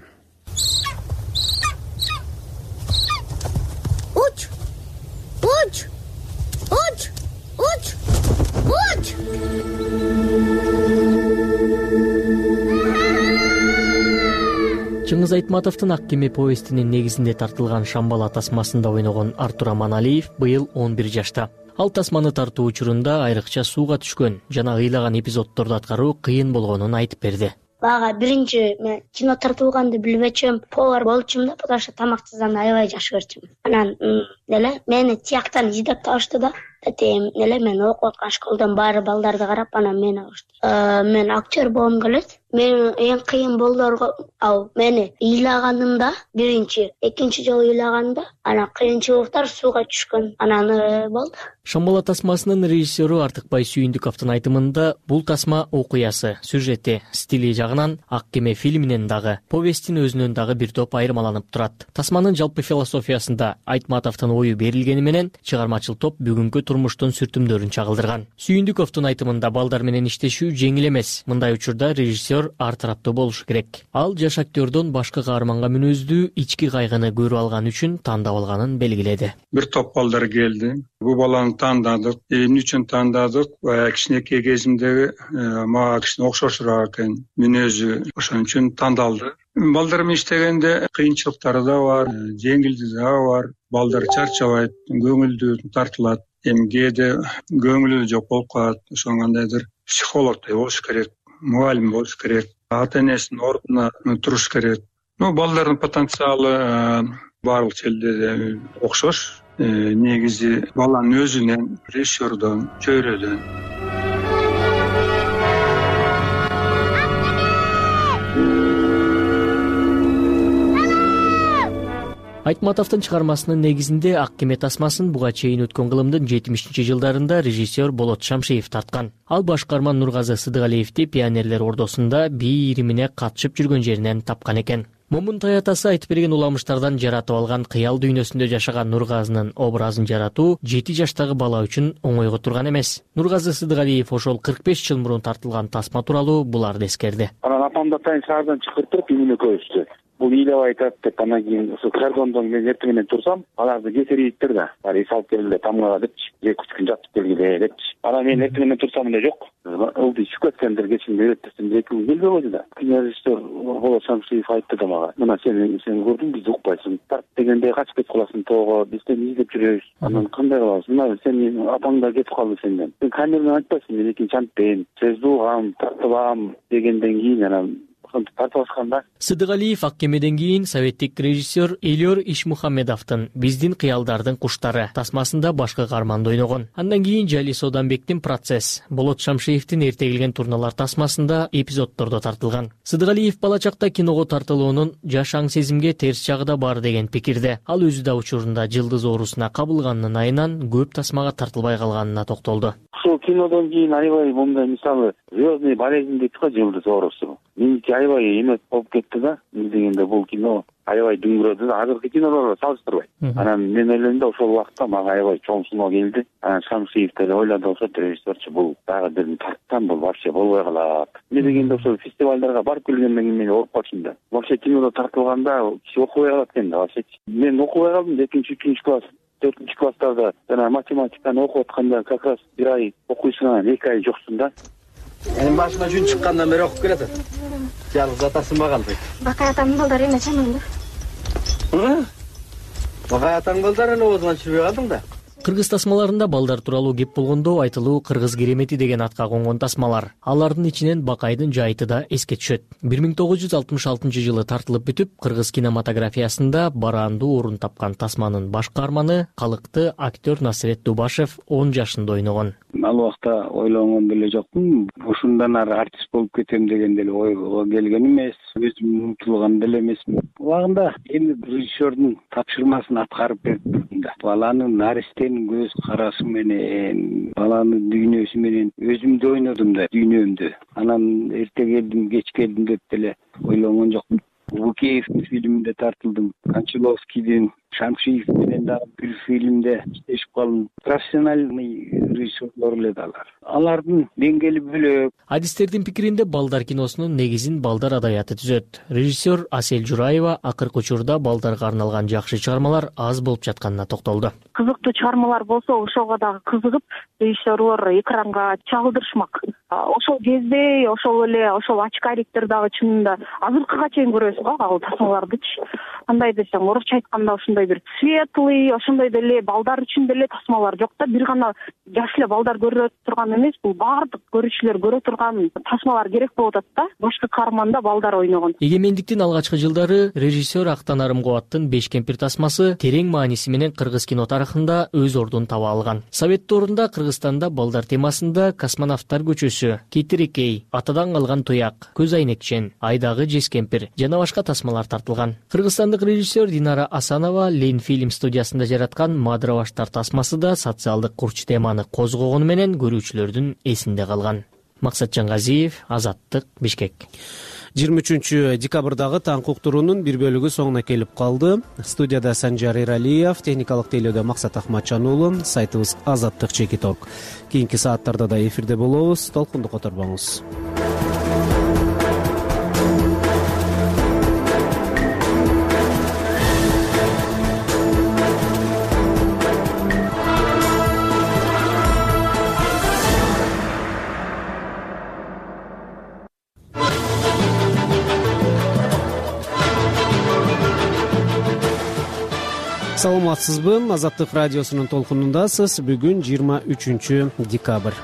Speaker 20: Чыңгыз Айтматовдун Ак кеме повестинин негизинде тартылган Шамбала тасмасында ойногон Артур Аманалиев быйыл 11 жашта. Ал тасманы тартуу учурунда айрыкча сууга түшкөн жана ыйлаган эпизоддорду аткаруу кыйын болгонун айтып берди.
Speaker 5: Бага биринчи мен кино тартылганды билбечүм, повар болчумун да, потому что тамактыздан аябай жаш көрчүм. Анан эле мени тияктан издеп табышты да. Тетем эле мен окуп аткан школдон баары балдарды карап анан мени алышты. Мен актер болгум келет. Мен эң кыйын болдорго мени ыйлаганымда биринчи, экинчи жолу ыйлаганда анан кыйынчылыктар сууга түшкөн. Анан болду.
Speaker 20: Шамбала тасмасынын режиссеру Артыкбай Сүйүндүковдун айтымында бул тасма окуясы, сюжети, стили жагынан Ак кеме фильминен дагы, повесттин өзүнөн дагы бир топ айырмаланып турат. Тасманын жалпы философиясында Айтматовдун ою берилгени менен чыгармачыл топ бүгүнкү турмуштун сүртүмдөрүн чагылдырган. Сүйүндүковдун айтымында балдар менен иштешүү жеңил эмес. Мындай учурда режиссер ар тараптуу болушу керек. Ал жаш актёрдон башка каарманга мүнөздүү ички кайгыны көрүп алган үчүн тандап алганын белгиледи.
Speaker 21: Бир топ балдар келди. Бул баланы тандадык. Эмне үчүн тандадык? Кичинекей кезимдеги мага кичине окшошураак экен мүнөзү. Ошон үчүн тандалды. Балдар менен иштегенде кыйынчылыктары да бар, жеңилдиги да бар. Балдар чарчабайт, көңүлдүү тартылат. Эми кээде көңүлү жок болуп калат. Ошон кандайдыр психологдой болуш керек, мугалим болуш керек, ата-энесинин ордуна туруш керек. Балдардын потенциалы барлык жерде окшош. Негизи баланын өзүнөн, режиссердон, чөйрөдөн.
Speaker 20: Айтматовдун чыгармасынын негизинде Ак кеме тасмасын буга чейин өткөн кылымдын 70-жылдарында режиссер Болот Шамшиев тарткан. Ал башкарма Нургазы Сыдыгалиевди пионерлер ордосунда бий иримине катышып жүргөн жеринен тапкан экен. Момунтай атасы айтып берген уламыштардан жаратып алган кыял дүйнөсүндө жашаган Нургазынын образын жаратуу 7 жаштагы бала үчүн оңойго турган эмес. Нургазы Сыдыгалиев ошол 45 жыл мурун тартылган тасма тууралуу буларды эскерди.
Speaker 22: Анан апамды атайын шаардан чакыртып эмне көрүштү. Бул ыйлап айтат деп анан кийин ошо кордондон мен эртең менен турсам, аларды кесириптир да. Баары салып келгиле тамгага депчи, 2-3 күн жатып келгиле депчи. Анан мен эртең менен турсам эле жок. Ылды ичип кеткендир, кечинде өттүрсөм 2 күн келбей койду да. Режиссер Болот Шамшиев айтты да мага. Мына сен көрдүң, бизди укпайсың. Тарт дегенде качып кетип каласың тоого, бизден издеп жүрөбүз. Анан кандай кылабыз? Мына сен апаң да кетип калды сенден. Сен камерадан айтпайсың, мен экинчи антпен, сөздү угам, тартылам дегенден кийин анан тартыбашканда.
Speaker 20: Сыдыгалиев Ак кемеден кийин советтик режиссер Элиор Ишмухаммедовдун Биздин кыялдардын куштары тасмасында башкы каарманды ойногон. Андан кийин Жали Соданбектин Процесс, Болот Шамшиевдин Эртегилген турналар тасмасында эпизоддордо тартылган. Сыдыгалиев бала чакта киного тартылуунун жаш аң сезимге терс жагы да бар деген пикирде. Ал өзү да учурунда жылдыз оорусуна кабылганынын айынан көп тасмага тартылбай калганына токтолду.
Speaker 22: Ушул кинодон кийин аябай мындай мисалы звездный болезнь дейт го, жылдыз оорусу. Меники аябай эме болуп кетти да. Дегенде бул кино аябай дүңгүрөдү да, азыркы кинолорго салыштырбай. Анан мен ойлойм да ошол убакта мага аябай чоң суноо келди. Анан Шамшиев деле ойлоду, ошо режиссерчи бул дагы бир тарттан бул вообще болбой калат. Эмне дегенде ошол фестивалдарга барып келгенден кийин мен ооруп калдым да. Вообще кинодо тартылганда киши окубай калат экен да вообще. Мен окубай калдым 2-3 класс, 4 класстарда жана математиканы окуп атканда как раз бир ай окуйсуң, анан 2 ай жоксуң да.
Speaker 23: Менин башыма жүн чыккандан бери окуп келатат. Жалгыз атасы мага калды.
Speaker 24: Бакай атамдын балдары эмне чамаңды?
Speaker 23: Бакай атаң балдарын оозуңан чүрбөй калдың да.
Speaker 20: Кыргыз тасмаларында балдар тууралуу кеп болгондо айтылуу Кыргыз керемети деген атка конгон тасмалар. Алардын ичинен Бакайдын жайыты да эске түшөт. 1966-жылы тартылып бүтүп, кыргыз кинематографиясында бараандуу орун тапкан тасманын баш каарманы калыкты актер Насырет Дубашев 10 жашында ойногон.
Speaker 10: Ал убакта ойлонгон деле жокмун. Ушундан ары артист болуп кетем деген деле ойго келген эмес. Өзүм умтулган деле эмесмин. Убагында эми режиссердун тапшырмасын аткарып бердим да. Баланын наристенин көз карашы менен, баланын дүйнөсү менен өзүмдү ойнодум да, дүйнөмдү. Анан эрте келдим, кеч келдим деп деле ойлонгон жокмун. Лукеев фильминде тартылдым. Кончаловскийдин, Шамшиев менен дагы бир фильмде иштешип калдым. Профессиональный режиссерлор эле алар. Алардын деңгээли бөлөк.
Speaker 20: Адистердин пикиринде балдар киносунун негизин балдар адабияты түзөт. Режиссер Асель Жураева акыркы учурда балдарга арналган жакшы чыгармалар аз болуп жатканына токтолду.
Speaker 12: Кызыктуу чыгармалар болсо ошого дагы кызыгып режиссерлор экранга чагылдырышмак. Ошол кезде ошол эле ошол очкариктер дагы чынында азыркыга чейин көрөсүз го ал тасмалардычы. Кандай десем, орусча айтканда ушундай бир светлый, ошондой деле балдар үчүн деле тасмалар жок да. Бир гана жаш эле балдар көрө турган эмес, бул баардык көрүүчүлөр көрө турган тасмалар керек болуп атат да. Башкы каарманда балдар ойногон.
Speaker 20: Эгемендиктин алгачкы жылдары режиссер Актан Арымкубаттын Беш кемпир тасмасы терең мааниси менен кыргыз кино тарыхында өз ордун таба алган. Совет доорунда Кыргызстанда балдар темасында Космонавттар көчөсү, Кетирекей, Атадан калган туяк, Көз айнекчен, Айдагы Жез кемпир жана башка тасмалар тартылган. Кыргызстандык режиссер Динара Асанова Лен фильм студиясында жараткан Мадыра баштар тасмасы да социалдык курч теманы козгогону менен көрүүчүлөрдүн эсинде калган. Максат Жангазиев, Азаттык, Бишкек.
Speaker 2: 23 декабрдагы таң уктуруунун бир бөлүгү соңуна келип калды. Студияда Санжар Иралиев, техникалык тейлөөдө Максат Ахматжан уулу, сайтыбыз Азаттык /Чекит.org. Кийинки сааттарда да эфирде болобуз. Толкунду которбоңуз. Саламатсызбы? Азаттык радиосунун толкунундасыз. Бүгүн 23 декабрь.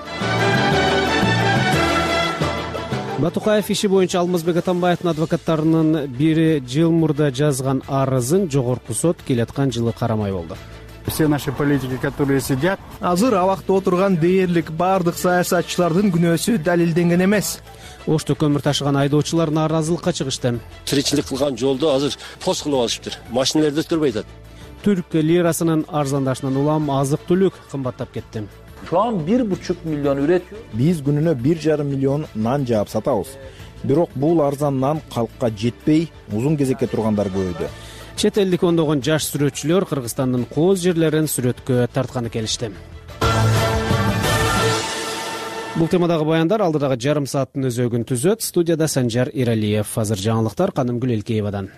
Speaker 2: Батукаев иши боюнча Алмазбек Атамбаевдин адвокаттарынын бири жыл мурда жазган арызын жогорку сот келаткан жылы карамай болду.
Speaker 1: Все наши политики, которые сидят, азыр абакта отурган дээрлик баардык саясатчылардын күнөөсү далилденген эмес.
Speaker 2: Ошто көмүр ташыган айдоочулар нааразылыкка чыгышты.
Speaker 6: Тиричилик кылган жолду азыр пост кылып алышыптыр. Машиналарды өтүрбөй атат.
Speaker 2: Түрк лирасынын арзандашынан улам азык-түлүк кымбаттап кетти.
Speaker 7: Şu an 1,5 milyon üretiyor.
Speaker 8: Биз күнүнө 1,5 миллион нан жаап сатабыз. Бирок бул арзан нан калкка жетпей, узун кезекке тургандар көбөйдү.
Speaker 2: Чет элдик ондогон жаш сүрөтчүлөр Кыргызстандын кооз жерлерин сүрөткө тартканы келишти. Бул темадагы баяндар алдыдагы жарым сааттын өзөгүн түзөт. Студияда Санжар Иралиев. Азыр жаңылыктар Канымгүл Элкеевадан.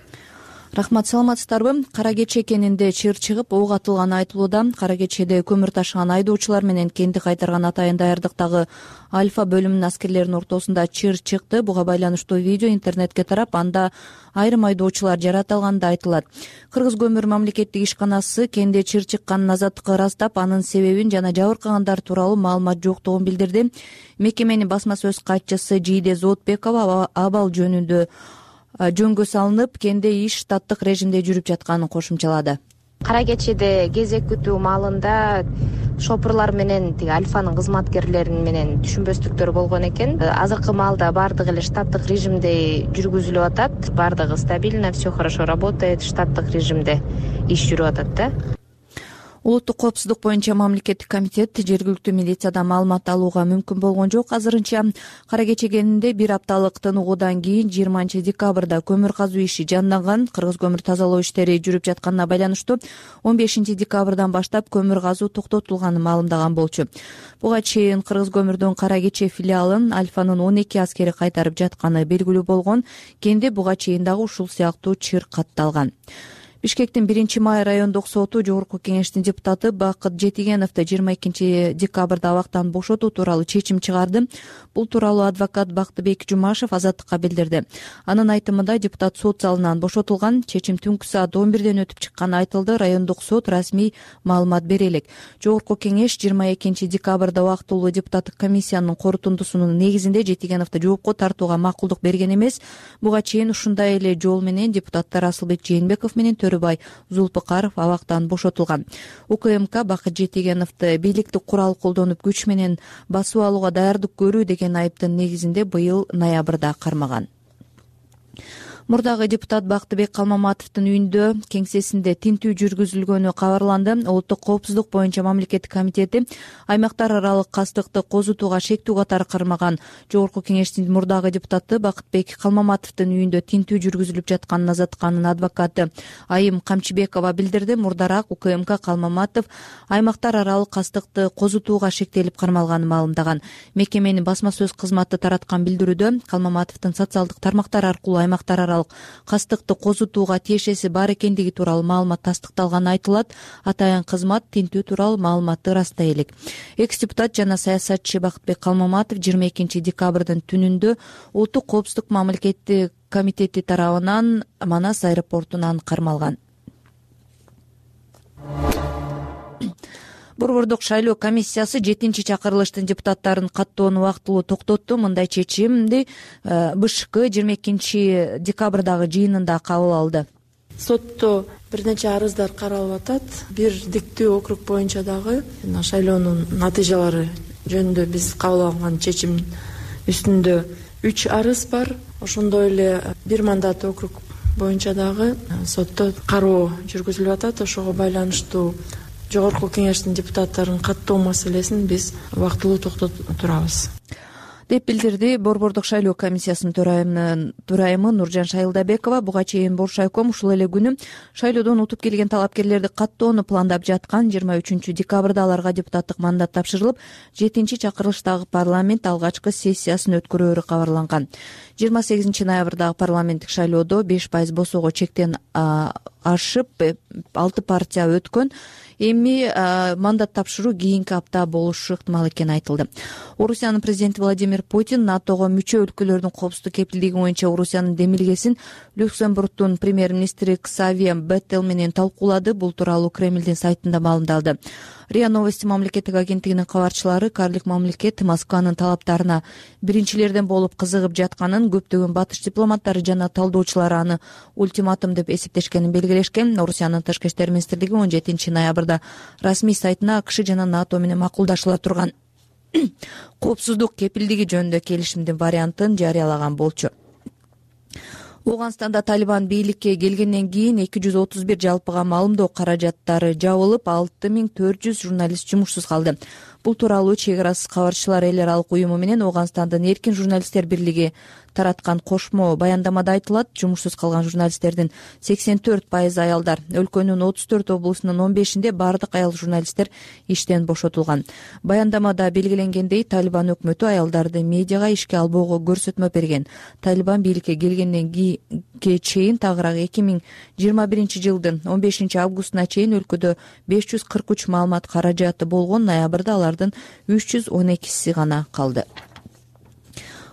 Speaker 17: Рахмат, саламатсыздарбы? Кара Кече кенинде чыр чыгып ок атылганы айтылууда. Кара Кечеде көмүр ташыган айдоочулар менен кенди кайтарган атайын даярдыктагы Альфа бөлүмүнүн аскерлеринин ортосунда чыр чыкты. Буга байланыштуу видео интернетке тарап, анда айрым айдоочулар жаратылганы да айтылат. Кыргыз көмүр мамлекеттик ишканасы кенде чыр чыкканын азаттыкка ырастап, анын себебин жана жабыркагандар тууралуу маалымат жоктугун билдирди. Мекеменин басма сөз катчысы Жийде Зоотбекова абал жөнгө салынып, кенде иш штаттык режимде жүрүп жатканын кошумчалады.
Speaker 9: Кара Кечеде кезек күтүү маалында шопурлар менен Альфанын кызматкерлерин менен түшүнбөстүктөр болгон экен. Азыркы маалда баардыгы эле штаттык режимде жүргүзүлүп атат. Баардыгы стабильно, все хорошо работает, штаттык режимде иш жүрүп атат да.
Speaker 17: Улуттук коопсуздук боюнча мамлекеттик комитет жергиликтүү милициядан маалымат алууга мүмкүн болгон жок. Азырынча Кара Кече кенинде бир апталык тыныгуудан кийин 20 декабрда көмүр казуу иши жанданган. Кыргыз көмүр тазалоо иштери жүрүп жатканына байланыштуу 15 декабрдан баштап көмүр казуу токтотулганын маалымдаган болчу. Буга чейин Кыргыз көмүрдүн Кара Кече филиалын Альфанын 12 аскери кайтарып жатканы белгилүү болгон. Кенде буга чейин дагы ушул сыяктуу чыр катталган. Бишкектин 1-май райондук соту жогорку кеңештин депутаты Бакыт Жетигеновду 22 декабрда абактан бошотуу тууралуу чечим чыгарды. Бул тууралуу адвокат Бактыбек Жумашев Азаттыкка билдирди. Анын айтымында депутат сот залынан бошотулган. Чечим түнкү саат 11ден өтүп чыкканы айтылды. Райондук сот расмий маалымат бере элек. Жогорку кеңеш 22 декабрда убактылуу депутаттык комиссиянын корутундусунун негизинде Жетигеновду жоопко тартууга макулдук берген эмес. Буга чейин ушундай эле жол менен депутаттар Асылбек Жээнбеков менен Төрөбай Зулпыкаров абактан бошотулган. УКМК Бакыт Жетигеновду бийликтик курал колдонуп күч менен басып алууга даярдык көрүү деген айыптын негизинде быйыл ноябрда кармаган. Мурдагы депутат Бактыбек Калмаматовдун үйүндө кеңсесинде тинтүү жүргүзүлгөнү кабарланды. Улуттук коопсуздук боюнча мамлекеттик комитети аймактар аралык кастыкты козутууга шектүү катары кармаган. Жогорку кеңештин мурдагы депутаты Бактыбек Калмаматовдун үйүндө тинтүү жүргүзүлүп жатканын Азаттыканын адвокаты Айым Камчыбекова билдирди. Мурдараак УКМК Калмаматов аймактар аралык кастыкты козутууга шектелип кармалганын маалымдаган. Мекеменин басма сөз кызматы тараткан билдирүүдө Калмаматовдун социалдык тармактар аркылуу аймактар аралык
Speaker 3: жыныстык кастыкты козутууга тиешеси бар экендиги тууралуу маалымат тастыкталганы айтылат. Атайын кызмат тинтүү тууралуу маалыматты ырастай элек. Экс депутат жана саясатчы Бакытбек Калмаматов 22 декабрдын түнүндө Улуттук коопсуздук мамлекеттик комитети тарабынан Манас аэропортунан кармалган. Борбордук шайлоо комиссиясы 7-чи чакырылыштын депутаттарын каттоону убактылуу токтотту. Мындай чечимди БШК 22 декабрдагы жыйынында кабыл алды.
Speaker 11: Сотто бир нече арыздар каралып атат. Бир диктүү округ боюнча дагы шайлоонун натыйжалары жөнүндө биз кабыл алган чечим үстүндө 3 арыз бар. Ошондой эле бир мандат округ боюнча дагы сотто кароо жүргүзүлүп атат. Ошого байланыштуу Жогорку кеңештин депутаттарын каттоо маселесин биз убактылуу токтотуп турабыз
Speaker 3: деп билдирди Борбордук шайлоо комиссиясынын төрайымы Нуржан Шайылдабекова. Буга чейин Боршайком ушул эле күнү шайлоодон утуп келген талапкерлерди каттоону пландап жаткан. 23 декабрда аларга депутаттык мандат тапшырылып, 7-чи чакырылыштагы парламент алгачкы сессиясын өткөрөөрү кабарланган. 28 ноябрдагы парламенттик шайлоодо 5% босоого чектен ашып 6 партия өткөн. Эми мандат тапшыруу кийинки апта болушу ыктымал экени айтылды. Орусиянын президенти Владимир Путин НАТОго мүчө өлкөлөрдүн коопсуздук кепилдиги боюнча Орусиянын демилгесин Люксембургдун премьер-министри Ксавье Беттел менен талкуулады. Бул тууралуу Кремлдин сайтында маалымдалды. РИА Новости мамлекеттик агенттигинин кабарчылары карлык мамлекет Москванын талаптарына биринчилерден болуп кызыгып жатканын, көптөгөн батыш дипломаттары жана талдоочулары аны ультиматум деп эсептешкенин белгилешкен. Орусиянын тышкы иштер министрлиги 17 ноябрда расмий сайтына АКШ жана НАТО менен макулдашыла турган коопсуздук кепилдиги жөнүндө келишимдин вариантын жарыялаган болчу. Ооганстанда Талибан бийликке келгенден кийин 231 жалпыга маалымдоо каражаттары жабылып, 6400 журналист жумушсуз калды. Бул тууралуу чек арасы кабарчылар эл аралык уюму менен Ооганстандын эркин журналисттер бирлиги тараткан кошмо баяндамада айтылат. Жумушсуз калган журналисттердин 84% аялдар. Өлкөнүн 34 облусунун 15-inde бардык аял журналисттер иштен бошотулган. Баяндамада белгиленгендей, Талибан өкмөтү аялдарды медиага ишке албоого көрсөтмө берген. Талибан бийликке келгенден чейин тагыраак 2021 жылдын 15 августуна чейин өлкөдө 543 маалымат каражаты болгон. Ноябрда алардын 312 гана калды.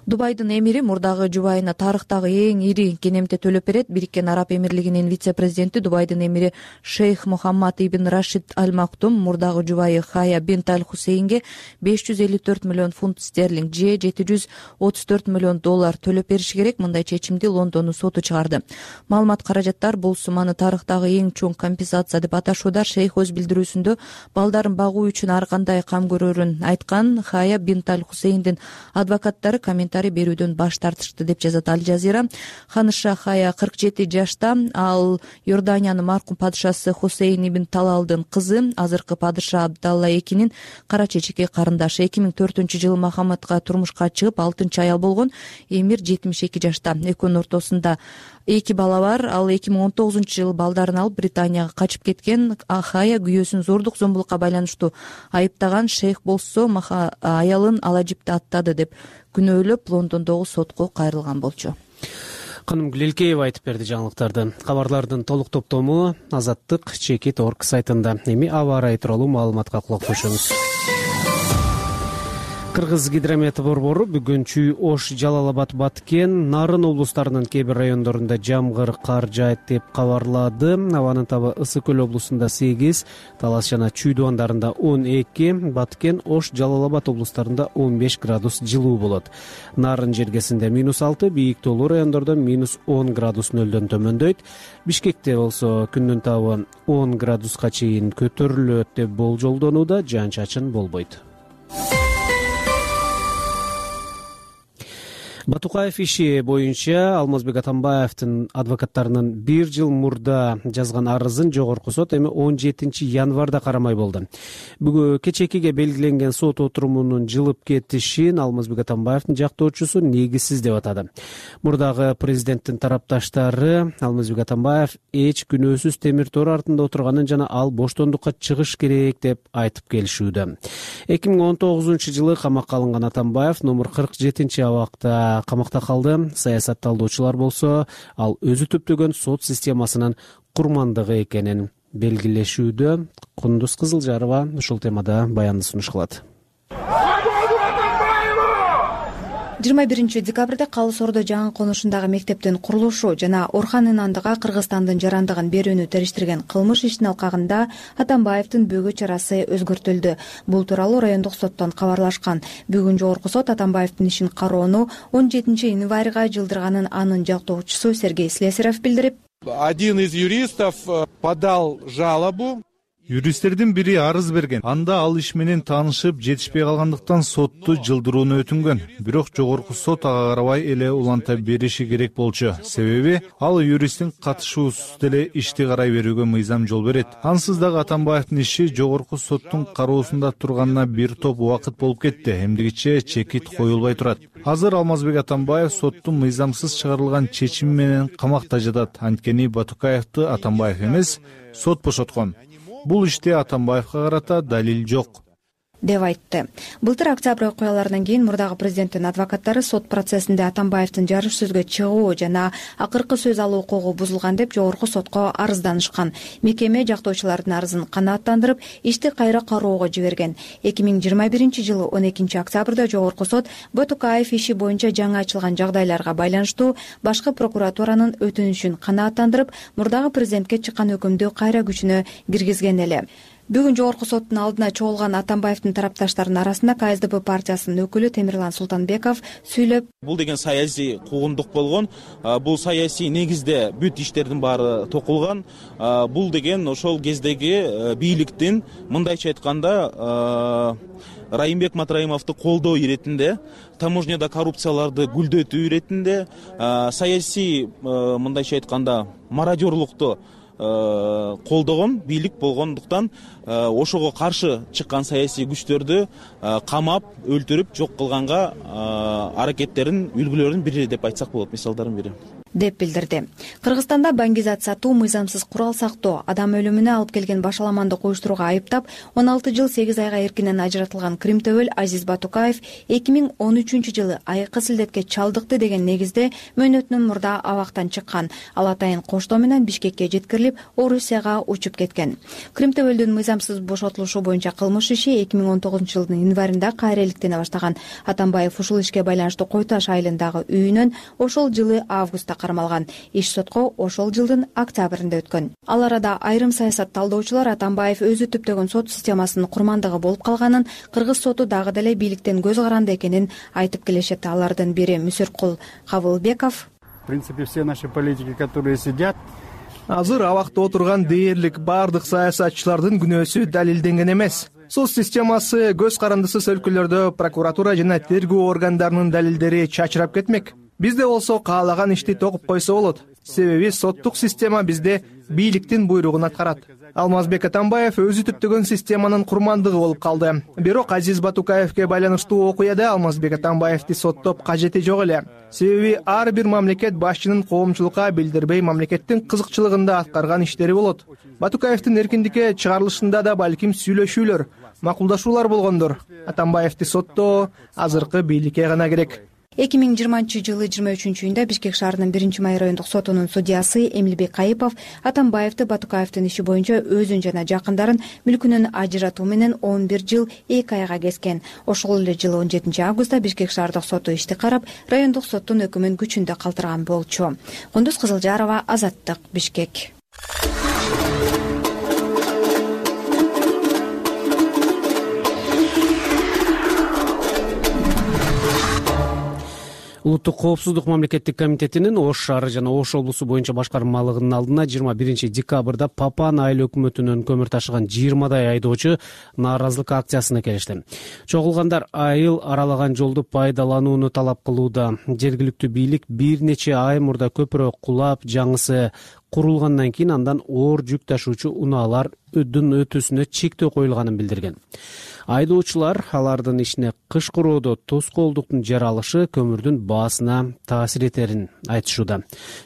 Speaker 3: Дубайдын эмири мурдагы жубайына тарыхтагы эң ири кенемте төлөп берет. Бириккен Араб Эмирлигинин вице-президенти Дубайдын эмири Шейх Мухаммад ибн Рашид Аль Мактум мурдагы жубайы Хая бинт Аль Хусейнге 554 миллион фунт стерлинг же 734 миллион доллар төлөп бериши керек. Мындай чечимди Лондондун соту чыгарды. Маалымат каражаттар бул сумманы тарыхтагы эң чоң компенсация деп аташууда. Шейх өз билдирүүсүндө балдарын багуу үчүн ар кандай кам көрөрүн айткан. Хая бинт Аль Хусейндин адвокаттары комментарий берүүдөн баш тартышты деп жазат Аль Жазира. Ханыша Хая 47 жашта. Ал Иорданиянын маркум падышасы Хусейн ибн Талалдын кызы, азыркы падыша Абдалла экинин кара чечеке карындашы. 2004-жылы Махаммадга турмушка чыгып 6-аял аял болгон. Эмир 72 жашта. Экөөнүн ортосунда 2 бала бар. Ал 2019-жылы балдарын алып Британияга качып кеткен. Хая күйөөсүн зордук зомбулукка байланыштуу айыптаган. Шейх болсо аялын Алажипти аттады деп күнөөлөп Лондондогу сотко кайрылган болчу.
Speaker 2: Каным Гүлелкеева айтып берди жаңылыктарды. Кабарлардын толук топтому Азаттык Чекит.org сайтында. Эми аба ырайы тууралуу маалыматка кулак түшөңүз. Кыргыз гидромет борбору бүгүн Чүй, Ош, Жалал Абад, Баткен, Нарын облустарынын кээ бир райондорунда жамгыр, кар жаайт деп кабарлады. Абанын табы Ысык Көл облусунда 8, Талас жана Чүй дубандарында 12, Баткен, Ош, Жалал Абад облустарында 15 градус жылуу болот. Нарын жергесинде -6, бийик тоолуу райондордо -10 градус нөлдөн төмөндөйт. Бишкекте болсо күндүн табы 10 градуска чейин көтөрүлөт деп болжолдонууда, жаан-чачын болбойт. Батукаев иши боюнча Алмазбек Атамбаевдин адвокаттарынын 1 жыл мурда жазган арызын жогорку сот эми 17 январда карамай болду. Бүгүн кечекиге белгиленген сот отурумунун жылып кетишин Алмазбек Атамбаевдин жактоочусу негизсиз деп атады. Мурдагы президенттин тарапташтары Алмазбек Атамбаев эч күнөөсүз темир тор артында отурганын жана ал боштондукка чыгыш керек деп айтып келишүүдө. 2019-жылы камакка алынган Атамбаев номер 47 абакта да камакта калды. Саясатталуучулар болсо ал өзү түптөгөн сот системасынын курмандыгы экенин белгилешүүдө. Кундуз Кызылжарова ушул темада баянды сунуш кылат.
Speaker 3: 21 декабрда Калы Соордо жаңы конушундагы мектептин курулушу жана Орхан Инандыга Кыргызстандын жарандыгын берүүнү териштирген кылмыш ишин алкагында Атамбаевдин бөгөө чарасы өзгөртүлдү. Бул тууралуу райондук соттон кабарлашкан. Бүгүн жогорку сот Атамбаевдин ишин кароону 17 январга жылдырганын анын жактоочусу Сергей Слесарев билдирип,
Speaker 4: один из юристов подал жалобу.
Speaker 14: Юристтердин бири арыз берген. Анда ал иш менен таанышып жетишпей калгандыктан сотту жылдырууну өтүнгөн. Бирок жогорку сот ага карабай эле уланта бериши керек болчу. Себеби ал юристтин катышуусуз деле ишти карай берүүгө мыйзам жол берет. Ансыз дагы Атамбаевдин иши жогорку соттун кароосунда турганына бир топ убакыт болуп кетти. Эмдигиче чекит коюлбай турат. Азыр Алмазбек Атамбаев соттун мыйзамсыз чыгарылган чечими менен камакта жатат. Анткени Батукаевди Атамбаев эмес, сот бошоткон. Бул иште Атамбаевга карата далил жок
Speaker 3: деп айтты. Былтыр октябрь окуяларынан кийин мурдагы президенттин адвокаттары сот процессинде Атамбаевдин жарыш сөзгө чыгуу жана акыркы сөз алуу укугу бузулган деп жогорку сотко арызданышкан. Мекеме жактоочулардын арызын канааттандырып, ишти кайра кароого жиберген. 2021 жылы 12 октябрда жогорку сот Батукаев иши боюнча жаңы ачылган жагдайларга байланыштуу башкы прокуратуранын өтүнүшүн канааттандырып, мурдагы президентке чыккан өкүмдү кайра күчүнө киргизген эле. Бүгүн жогорку соттун алдына чогулган Атамбаевдин тарапташтарынын арасында КСДП партиясынын өкүлү Темирлан Султанбеков сүйлөп,
Speaker 15: бул деген саясий куугундук болгон, бул саясий негизде бүт иштердин баары токулган. Бул деген ошол кездеги бийликтин мындайча айтканда Райымбек Матраимовду колдоо иретинде, таможняда коррупцияларды гүлдөтүү иретинде, саясий мындайча айтканда мародерлукту колдогон бийлик болгондуктан ошого каршы чыккан саясий күчтөрдү камап, өлтүрүп, жок кылганга аракеттерин үлгүлөрүнүн бири деп айтсак болот, мисалдардын бири
Speaker 3: деп билдирди. Кыргызстанда баңгизат сатуу, мыйзамсыз курал сактоо, адам өлүмүнө алып келген башаламандык уюштурууга айыптап 16 жыл 8 айга эркинен ажыратылган Кримтөбөл Азиз Батукаев 2013 жылы айыккы силдетке чалдыкты деген негизде мөөнөтүнөн мурда абактан чыккан. Ал атайын коштоо менен Бишкекке жеткирилип, Орусияга учуп кеткен. Кримтөбөлдүн мыйзамсыз бошотулушу боюнча кылмыш иши 2019 жылдын январында кайра иликтене баштаган. Атамбаев ушул ишке байланыштуу Кой Таш айылындагы үйүнөн ошол жылы августта кармалган. Иш сотко ошол жылдын октябрында өткөн. Ал арада айрым саясат талдоочулар Атамбаев өзү түптөгөн сот системасынын курмандыгы болуп калганын, кыргыз соту дагы деле бийликтен көз каранды экенин айтып келишет. Алардын бири Мүсүркул Кабылбеков.
Speaker 1: В принципе, все наши политики, которые сидят, азыр абакта отурган дээрлик бардык саясатчылардын күнөөсү далилденген эмес. Сот системасы көз карандысыз өлкөлөрдө прокуратура жана тергөө органдарынын далилдери чачырап кетмек. Бизде болсо каалаган ишти токуп койсо болот. Себеби соттук система бизде бийликтин буйругун аткарат. Алмазбек Атамбаев өзү түптөгөн системанын курмандыгы болуп калды. Бирок Азиз Батукаевке байланыштуу окуяда Алмазбек Атамбаевди соттоп кажети жок эле. Себеби ар бир мамлекет башчынын коомчулукка билдирбей мамлекеттин кызыкчылыгында аткарган иштери болот. Батукаевдин эркиндикке чыгарылышында да балким сүйлөшүүлөр, макулдашуулар болгондор. Атамбаевди соттоо азыркы бийликке гана керек.
Speaker 3: 2020 жылы 23-июнда Бишкек шаарынын 1-май райондук сотунун судьясы Эмилбек Кайыпов Атамбаевди Батукаевдин иши боюнча өзүн жана жакындарын мүлкүнөн ажыратуу менен 11 жыл 2 айга kesкен. Ошол эле жылы 17 августта Бишкек шаардык соту ишти карап, райондук соттун өкүмүн күчүндө калтырган болчу. Кундуз Кызылжарова, Азаттык, Бишкек.
Speaker 2: Улуттук коопсуздук мамлекеттик комитетинин Ош шаары жана Ош облусу боюнча башкармалыгынын алдына 21 декабрда Папан айыл өкмөтүнөн көмүр ташыган 20 айдоочу нааразылык акциясына келишти. Чогулгандар айыл аралаган жолду пайдаланууну талап кылууда. Жергиликтүү бийлик бир нече ай мурда көпүрө кулап, жаңысы курулгандан кийин андан оор жүк ташуучу унаалардын өтүүсүнө чектөө коюлганын билдирген. Айдоочулар алардын ишине кыш куроодо тоскоолдуктун жаралышы көмүрдүн баасына таасир этерин айтышууда.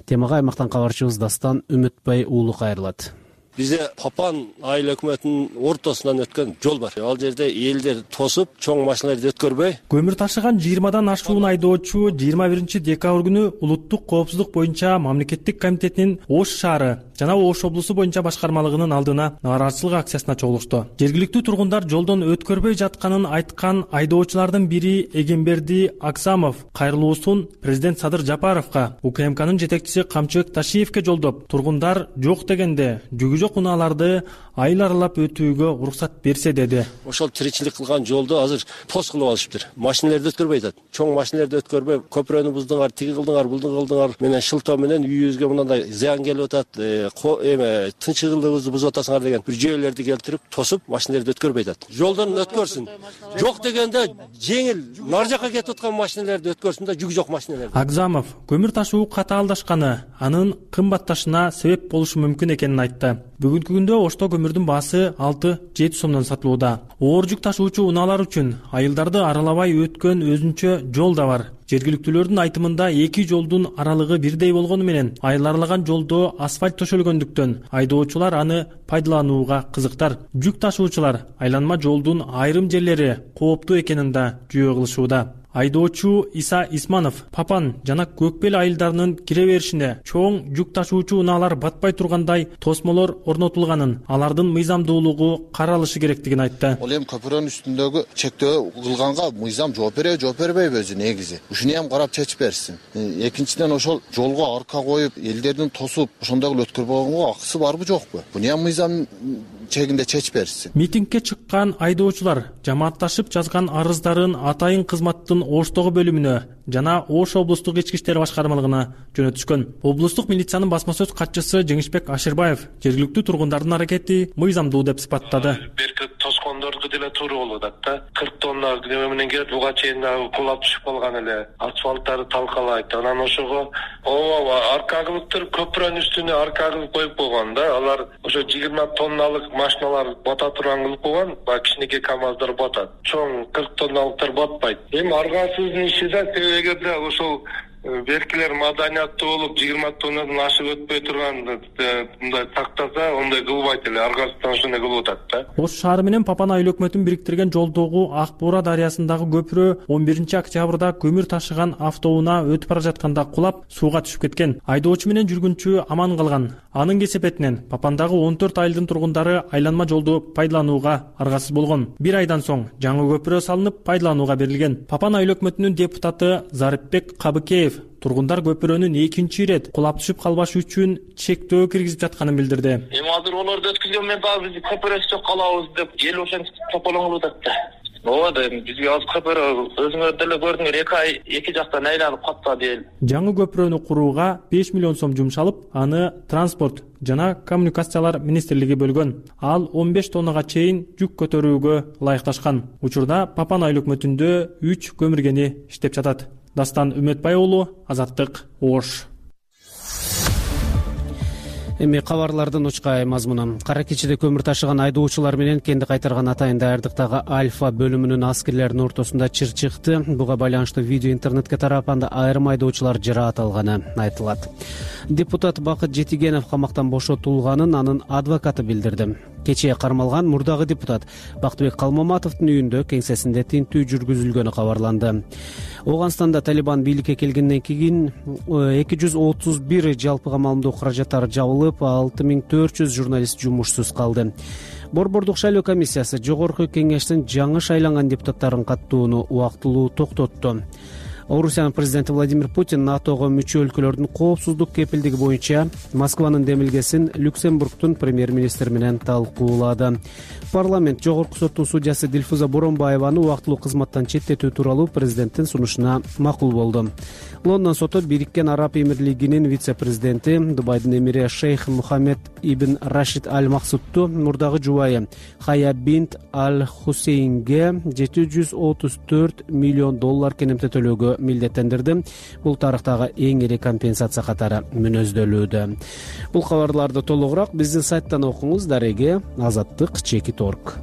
Speaker 2: Темага аймактан кабарчыбыз Дастан Үмүтбай уулу кайрылат.
Speaker 6: Бизде Папан айыл өкмөтүнүн ортосунан өткөн жол бар. Ал жерде элдер тосуп, чоң машиналарды өткөрбөй.
Speaker 13: Көмүр ташыган 20дан ашуун айдоочу 21 декабрь күнү улуттук коопсуздук боюнча мамлекеттик комитетинин Ош шаары жана Ош облусу боюнча башкармалыгынын алдына нааразычылык акциясына чогулушту. Жергиликтүү тургундар жолдон өткөрбөй жатканын айткан айдоочулардын бири Эгемберди Аксамов кайрылуусун президент Садыр Жапаровго, УКМКнын жетекчиси Камчыбек Ташиевке жолдоп, тургундар жок дегенде жүгү жок унааларды айыл аралап өтүүгө уруксат берсе деди.
Speaker 6: Ошол тиричилик кылган жолду азыр пост кылып алышыптыр. Машиналарды өткөрбөй атат. Чоң машиналарды өткөрбөй, көпүрөнү буздуңар, тиги кылдыңар, булду кылдыңар менен шылтоо менен үйүбүзгө мындай зыян келип атат, тынчсыздыгыбызды бузуп атасыңар деген бир жүйөлөрдү келтирип, тосуп машиналарды өткөрбөй атат. Жолдон өткөрсүн. Жок дегенде жеңил нар жака кетип аткан машиналарды өткөрсүн да, жүгү жок машиналарды.
Speaker 13: Акзамов көмүр ташуу катаалдашканы, анын кымбатташына себеп болушу мүмкүн экенин айтты. Бүгүнкү күндө Ошто көмүрдүн баасы 6-7 сомдон сатылууда. Оор жүк ташуучу унаалар үчүн айылдарды аралабай өткөн өзүнчө жол да бар. Жергиликтүүлөрдүн айтымында эки жолдун аралыгы бирдей болгону менен айыл аралаган жолдо асфальт төшөлгөндүктөн айдоочулар аны пайдаланууга кызыктар. Жүк ташуучулар айланма жолдун айрым жерлери кооптуу экенин да жүйө кылышууда. Айдоочу Иса Исманов Папан жана Көкбел айылдарынын кире беришине чоң жүк ташуучу унаалар батпай тургандай тосмолор орнотулганын, алардын мыйзамдуулугу каралышы керектигин айтты.
Speaker 16: Ал эми көпүрөнүн үстүндөгү чектөө кылганга мыйзам жооп береби, жооп бербейби өзү негизи. Ушуну ham карап чечип берсин. Экинчиден ошол жолго арка коюп, элдердин тосуп, ошондой кылып өткөрбөгөнгө акысы барбы жокпу? Буну ham мыйзам чегинде чечип берсин.
Speaker 13: Митингге чыккан айдоочулар жамаатташып жазган арыздарын Атайын кызматтын Оштогу бөлүмүнө жана Ош облустук ички иштер башкармалыгына жөнөтүшкөн. Облустук милициянын басма сөз катчысы Жеңишбек Ашырбаев жергиликтүү тургундардын аракети мыйзамдуу деп сыпаттады.
Speaker 18: Берки тоскондордуку деле туура болуп атат да. 40 тонна неме менен келип, буга чейин кулап түшүп калган эле. Асфальттары талкалайт. Анан ошого арка кылыптыр, көпүрөнүн үстүнө арка кылып коюп койгон да. Алар ошо 20 тонналык машиналар бата турган кылып койгон, баягы кичинекей КАМАЗдар батат. Чоң 40 тонналыктар батпайт. Эми аргасыздын иши да, эгерде ошол беркилер маданияттуу болуп 20 тоннадан ашып өтпөй турган мындай тактаса, ондай кылбайт эле, аргасыздан ошондой кылып атат да.
Speaker 13: Ош шаары менен Папан айыл өкмөтүн бириктирген жолдогу Ак Буура дарыясындагы көпүрө 11 октябрда көмүр ташыган автоунаа өтүп бара жатканда кулап сууга түшүп кеткен. Айдоочу менен жүргүнчү аман калган. Анын кесепетинен Папандагы 14 айылдын тургундары айланма жолду пайдаланууга аргасыз болгон. Bir айдан соң жаңы көпүрө салынып пайдаланууга берилген. Папан айыл өкмөтүнүн депутаты Зарипбек Кабыкеев тургундар көпүрөнүн экинчи ирет кулап түшүп калбашы үчүн чектөө киргизип жатканын билдирди.
Speaker 18: Эми азыр олорду өткүзгөн менен дагы биз көпүрөсү калабыз деп эл ошентип тополоңуп атат да. Ооба, бизге азыр көпүрө өзүңөр деле көрдүңөр, 2 ай эки жактан айланып каттады эл.
Speaker 13: Жаңы көпүрөнү курууга 5 миллион сом жумшалып, аны транспорт жана коммуникациялар министрлиги бөлгөн. Ал 15 тоннага чейин жүк көтөрүүгө ылайыкташкан. Учурда Папан айыл өкмөтүндө 3 көмүргени иштеп жатат. Дастан Үмөтбай уулу, Азаттык, Ош.
Speaker 2: Эми кабарлардын учкай мазмуну. Кара кечиде көмүр ташыган айдоочулар менен кенди кайтарган Атайын даярдыктагы Альфа бөлүмүнүн аскерлеринин ортосунда чыр чыкты. Буга байланыштуу видео интернетке тарапканда айрым айдоочулар жыраат алганы айтылат. Депутат Бакыт Жетигенов камактан бошотулганын анын адвокаты билдирди. Кечээ кармалган мурдагы депутат Бактыбек Калмаматовдун үйүндө кеңсесинде тинтүү жүргүзүлгөнү кабарланды. Ооганстанда Талибан бийликке келгенден кийин 231 жалпыга маалымдоо каражаттары жабылып, 6400 журналист жумушсуз калды. Борбордук шайлоо комиссиясы жогорку кеңештин жаңы шайланган депутаттарын каттоону убактылуу токтотту. Орусиянын президенти Владимир Путин НАТОго мүчө өлкөлөрдүн коопсуздук кепилдиги боюнча Москванын демилгесин Люксембургдун премьер-министри менен талкуулады. Парламент жогорку соттун судьясы Дилфуза Боронбаеваны убактылуу кызматтан четтетүү тууралуу президенттин сунушуна макул болду. Лондон соту Бириккен Араб Эмирлигинин вице-президенти Дубайдын эмири Шейх Мухаммед ибн Рашид Аль-Максудту мурдагы жубайы Хая бинт Аль-Хусейнге 734 миллион доллар кенемте төлөөгө милдеттендирди. Бул тарыхтагы эң ири компенсация катары мүнөздөлүүдө. Бул кабарларды толугураак биздин сайттан окуңуз. Дареге Азаттык /.org.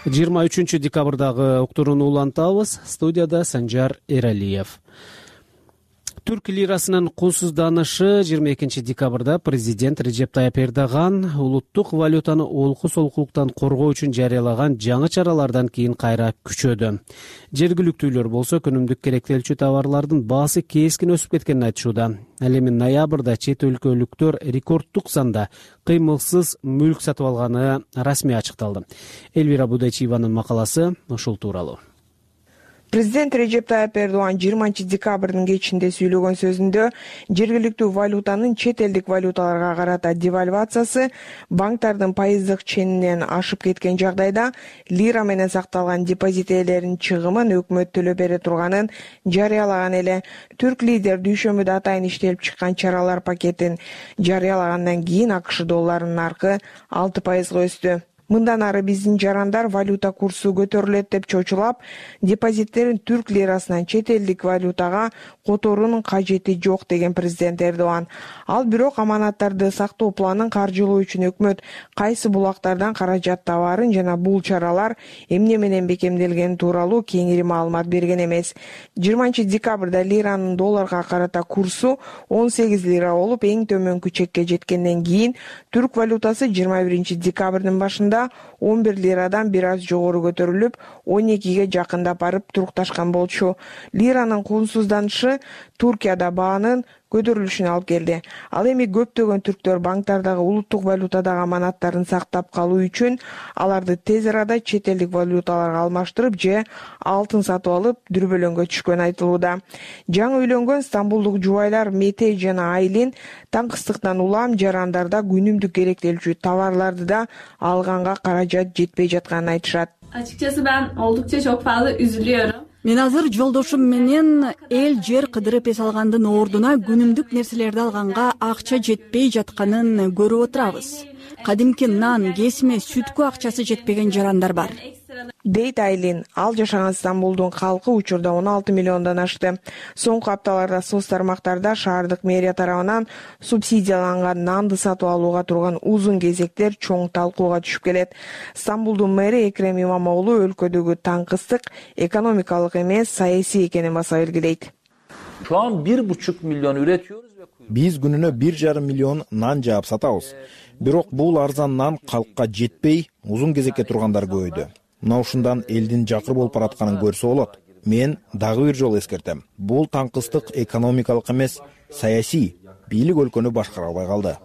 Speaker 2: 23 декабрдагы уктурууну улантабыз. Студияда Санжар Эралиев. Түрк лирасынын кунсузданышы 22 декабрда президент Режеп Тайып Эрдоган улуттук валютаны олку-солкулуктан коргоо үчүн жарыялаган жаңы чаралардан кийин кайра күчөдү. Жергиликтүүлөр болсо күнүмдүк керектелчү товарлардын баасы кескин өсүп кеткенин айтышууда. Ал эми ноябрда чет өлкөлүктөр рекорддук санда кыймылсыз мүлк сатып алганы расмий ачыкталды. Элвира Будайчиеванын макаласы ушул тууралуу.
Speaker 5: Президент Режеп Тайып Эрдоган 20 декабрдын кечинде сүйлөгөн сөзүндө жергиликтүү валютанын чет элдик валюталарга карата девальвациясы банктардын пайыздык ченинен ашып кеткен жагдайда лира менен сакталган депозит ээлеринин чыгымын өкмөт төлөп бере турганын жарыялаган эле. Түрк лидер дүйшөмбүдө атайын иштелип чыккан чаралар пакетин жарыялагандан кийин АКШ долларынын наркы 6% өстү. Мындан ары биздин жарандар валюта курсу көтөрүлөт деп чочулап, депозиттерин түрк лирасынан чет элдик валютага которуунун кажети жок деген президент Эрдоган. Ал бирок аманаттарды сактоо планын каржылоо үчүн өкмөт кайсы булактардан каражат табаарын жана бул чаралар эмне менен бекемделгени тууралуу кеңири маалымат берген эмес. 20 декабрда лиранын долларга карата курсу 18 лира болуп, эң төмөнкү чекке жеткенден кийин түрк валютасы 21 декабрдын башында 11 лирадан бир аз жогору көтөрүлүп, 12ге жакындап барып турукташкан болчу. Лиранын кунсузданышы Туркияда баанын көтөрүлүшүнө алып келди. Ал эми көптөгөн түрктөр банктардагы улуттук валютадагы аманаттарын сактап калуу үчүн аларды тез арада чет элдик валюталарга алмаштырып же алтын сатып алып дүрбөлөңгө түшкөнү айтылууда. Жаңы үйлөнгөн стамбулдук жубайлар Мете жана Айлин таңкыстыктан улам жарандарда күнүмдүк керектелчү товарларды да алганга каражат жетпей жатканын айтышат.
Speaker 19: Açıkçası ben oldukça çok fazla üzülüyorum.
Speaker 17: Мен азыр жолдошум менен эл жер кыдырып эс алгандын ордуна күнүмдүк нерселерди алганга акча жетпей жатканын көрүп отурабыз. Кадимки нан, кесме, сүткө акчасы жетпеген жарандар бар.
Speaker 5: Дейт Айлин. Ал жашаган Стамбулдун калкы учурда 16 миллиондон ашты. Соңку апталарда соц тармактарда шаардык мэрия тарабынан субсидияланган нанды сатып алууга турган узун кезектер чоң талкууга түшүп келет. Стамбулдун мэри Экрем Имамоğlu өлкөдөгү таңкыстык экономикалык эмес, саясий экенин баса белгилейт.
Speaker 7: Şu an 1,5 milyon üretiyoruz ve
Speaker 8: Биз күнүнө 1,5 миллион нан жаап сатабыз. Бирок бул арзан нан калкка жетпей, узун кезекке тургандар көбөйдү. Мына ушундан элдин жакыр болуп баратканын көрсө болот. Мен дагы бир жолу эскертем. Бул таңкыстык экономикалык эмес, саясий. Бийлик өлкөнү башкара албай калды.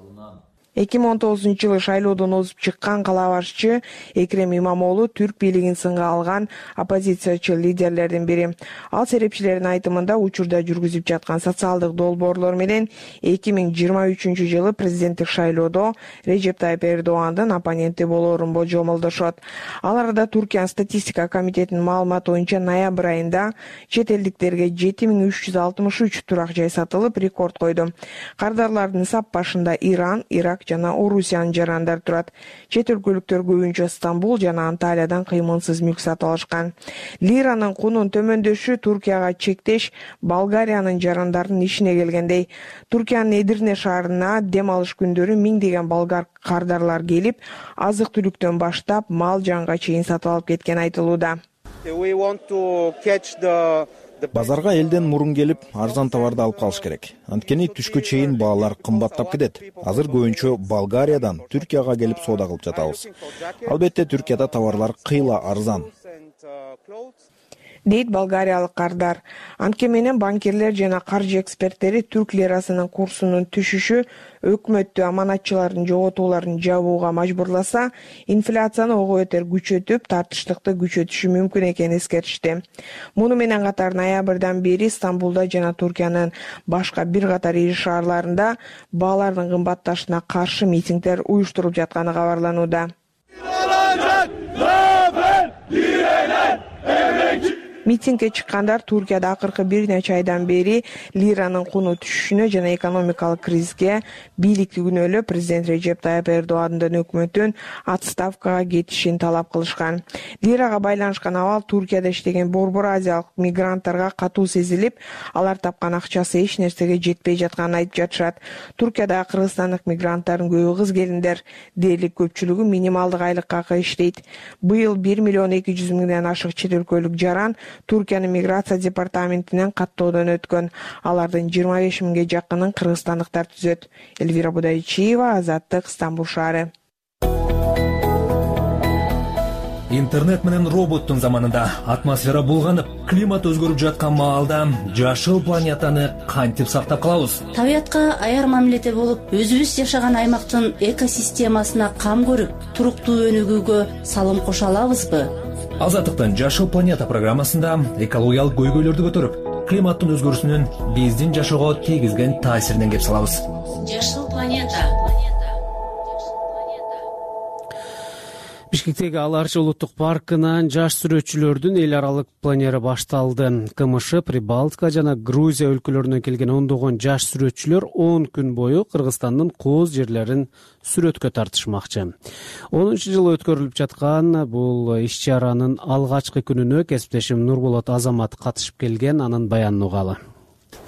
Speaker 5: 2019-жылы шайлоодон озуп чыккан кала башчы Экрем Имамоğlu түрк бийлигин сынга алган оппозициячы лидерлердин бири. Ал серепчилердин айтымында учурда жүргүзүп жаткан социалдык долбоорлор менен 2023-жылы президенттик шайлоодо Режеп Тайып Эрдогандын оппоненти болоорун болжомолдошот. Ал арада Туркиянын статистика комитетинин маалыматы боюнча ноябрь айында чет элдиктерге 7363 турак жай сатылып, рекорд койду. Кардарлардын сап башында Иран, Ирак жана Орусиянын жарандар турат. Чет өлкөлүктөр көбүнчө Стамбул жана Анталиядан кыймылсыз мүлк сатып алышкан. Лиранын кунун төмөндөшү Туркияга чектеш Болгариянын жарандарынын ишине келгендей. Туркиянын Эдирне шаарына дем алыш күндөрү миңдеген болгар кардарлар келип, азык-түлүктөн баштап мал жанга чейин сатып алып кеткен айтылууда.
Speaker 8: Базарга элден мурун келип, арзан товарды алып калыш керек. Анткени түшкө чейин баалар кымбаттап кетет. Азыр көбүнчө Болгариядан Түркияга келип соода кылып жатабыз. Албетте Түркияда товарлар кыйла арзан.
Speaker 5: Дейт болгариялык кардар. Анткени менен банкирлер жана каржы эксперттери түрк лирасынын курсунун түшүшү өкмөттү аманатчылардын жоготууларын жабууга мажбурласа, инфляцияны ого бетер күчөтүп, тартыштыкты күчөтүшү мүмкүн экенин эскертишти. Муну менен катар ноябрдан бери Стамбулда жана Туркиянын башка бир катар ири шаарларында баалардын кымбатташына каршы митингдер уюштуруп жатканы кабарланууда. Митингге чыккандар Туркияда акыркы бир нече айдан бери лиранын куну түшүшүнө жана экономикалык кризиске бийликти күнөөлөп, президент Режеп Тайып Эрдогандын өкмөтүн отставкага кетишин талап кылышкан. Лирага байланышкан абал Туркияда иштеген борбор азиялык мигранттарга катуу сезилип, алар тапкан акчасы эч нерсеге жетпей жатканын айтып жатышат. Туркияда кыргызстандык мигранттардын көбү кыз келиндер, дээрлик көпчүлүгү минималдык айлыкка иштейт. Быйыл 1,2 миллион ашык чет өлкөлүк жаран Туркиянын миграция департаментинен каттоодон өткөн. Алардын 25 миңге жакынын кыргызстандыктар түзөт. Элвира Будайчиева, Азаттык, Стамбул шаары.
Speaker 21: Интернет менен роботтун заманында атмосфера булганып, климат өзгөрүп жаткан маалда жашыл планетаны кантип сактап калабыз?
Speaker 22: Табиятка аяр мамиледе болуп, өзүбүз жашаган аймактын экосистемасына кам көрүп, туруктуу өнүгүүгө салым кошо алабызбы?
Speaker 21: Азаттыктын Жашыл планета программасында экологиялык көйгөйлөрдү көтөрүп, климаттын өзгөрүүсүнүн биздин жашоого тийгизген таасиринен кеп салабыз.
Speaker 22: Жашыл планета.
Speaker 2: Бишкектеги Ала Арча улуттук паркынан жаш сүрөтчүлөрдүн эл аралык пленери башталды. КМШ, Прибалтика жана Грузия өлкөлөрүнөн келген ондогон жаш сүрөтчүлөр 10 күн бою Кыргызстандын кооз жерлерин сүрөткө тартышмакчы. 10-жыл өткөрүлүп жаткан бул иш-чаранын алгачкы күнүнө кесиптешим Нурболот Азамат катышып келген, анын баянын угалы.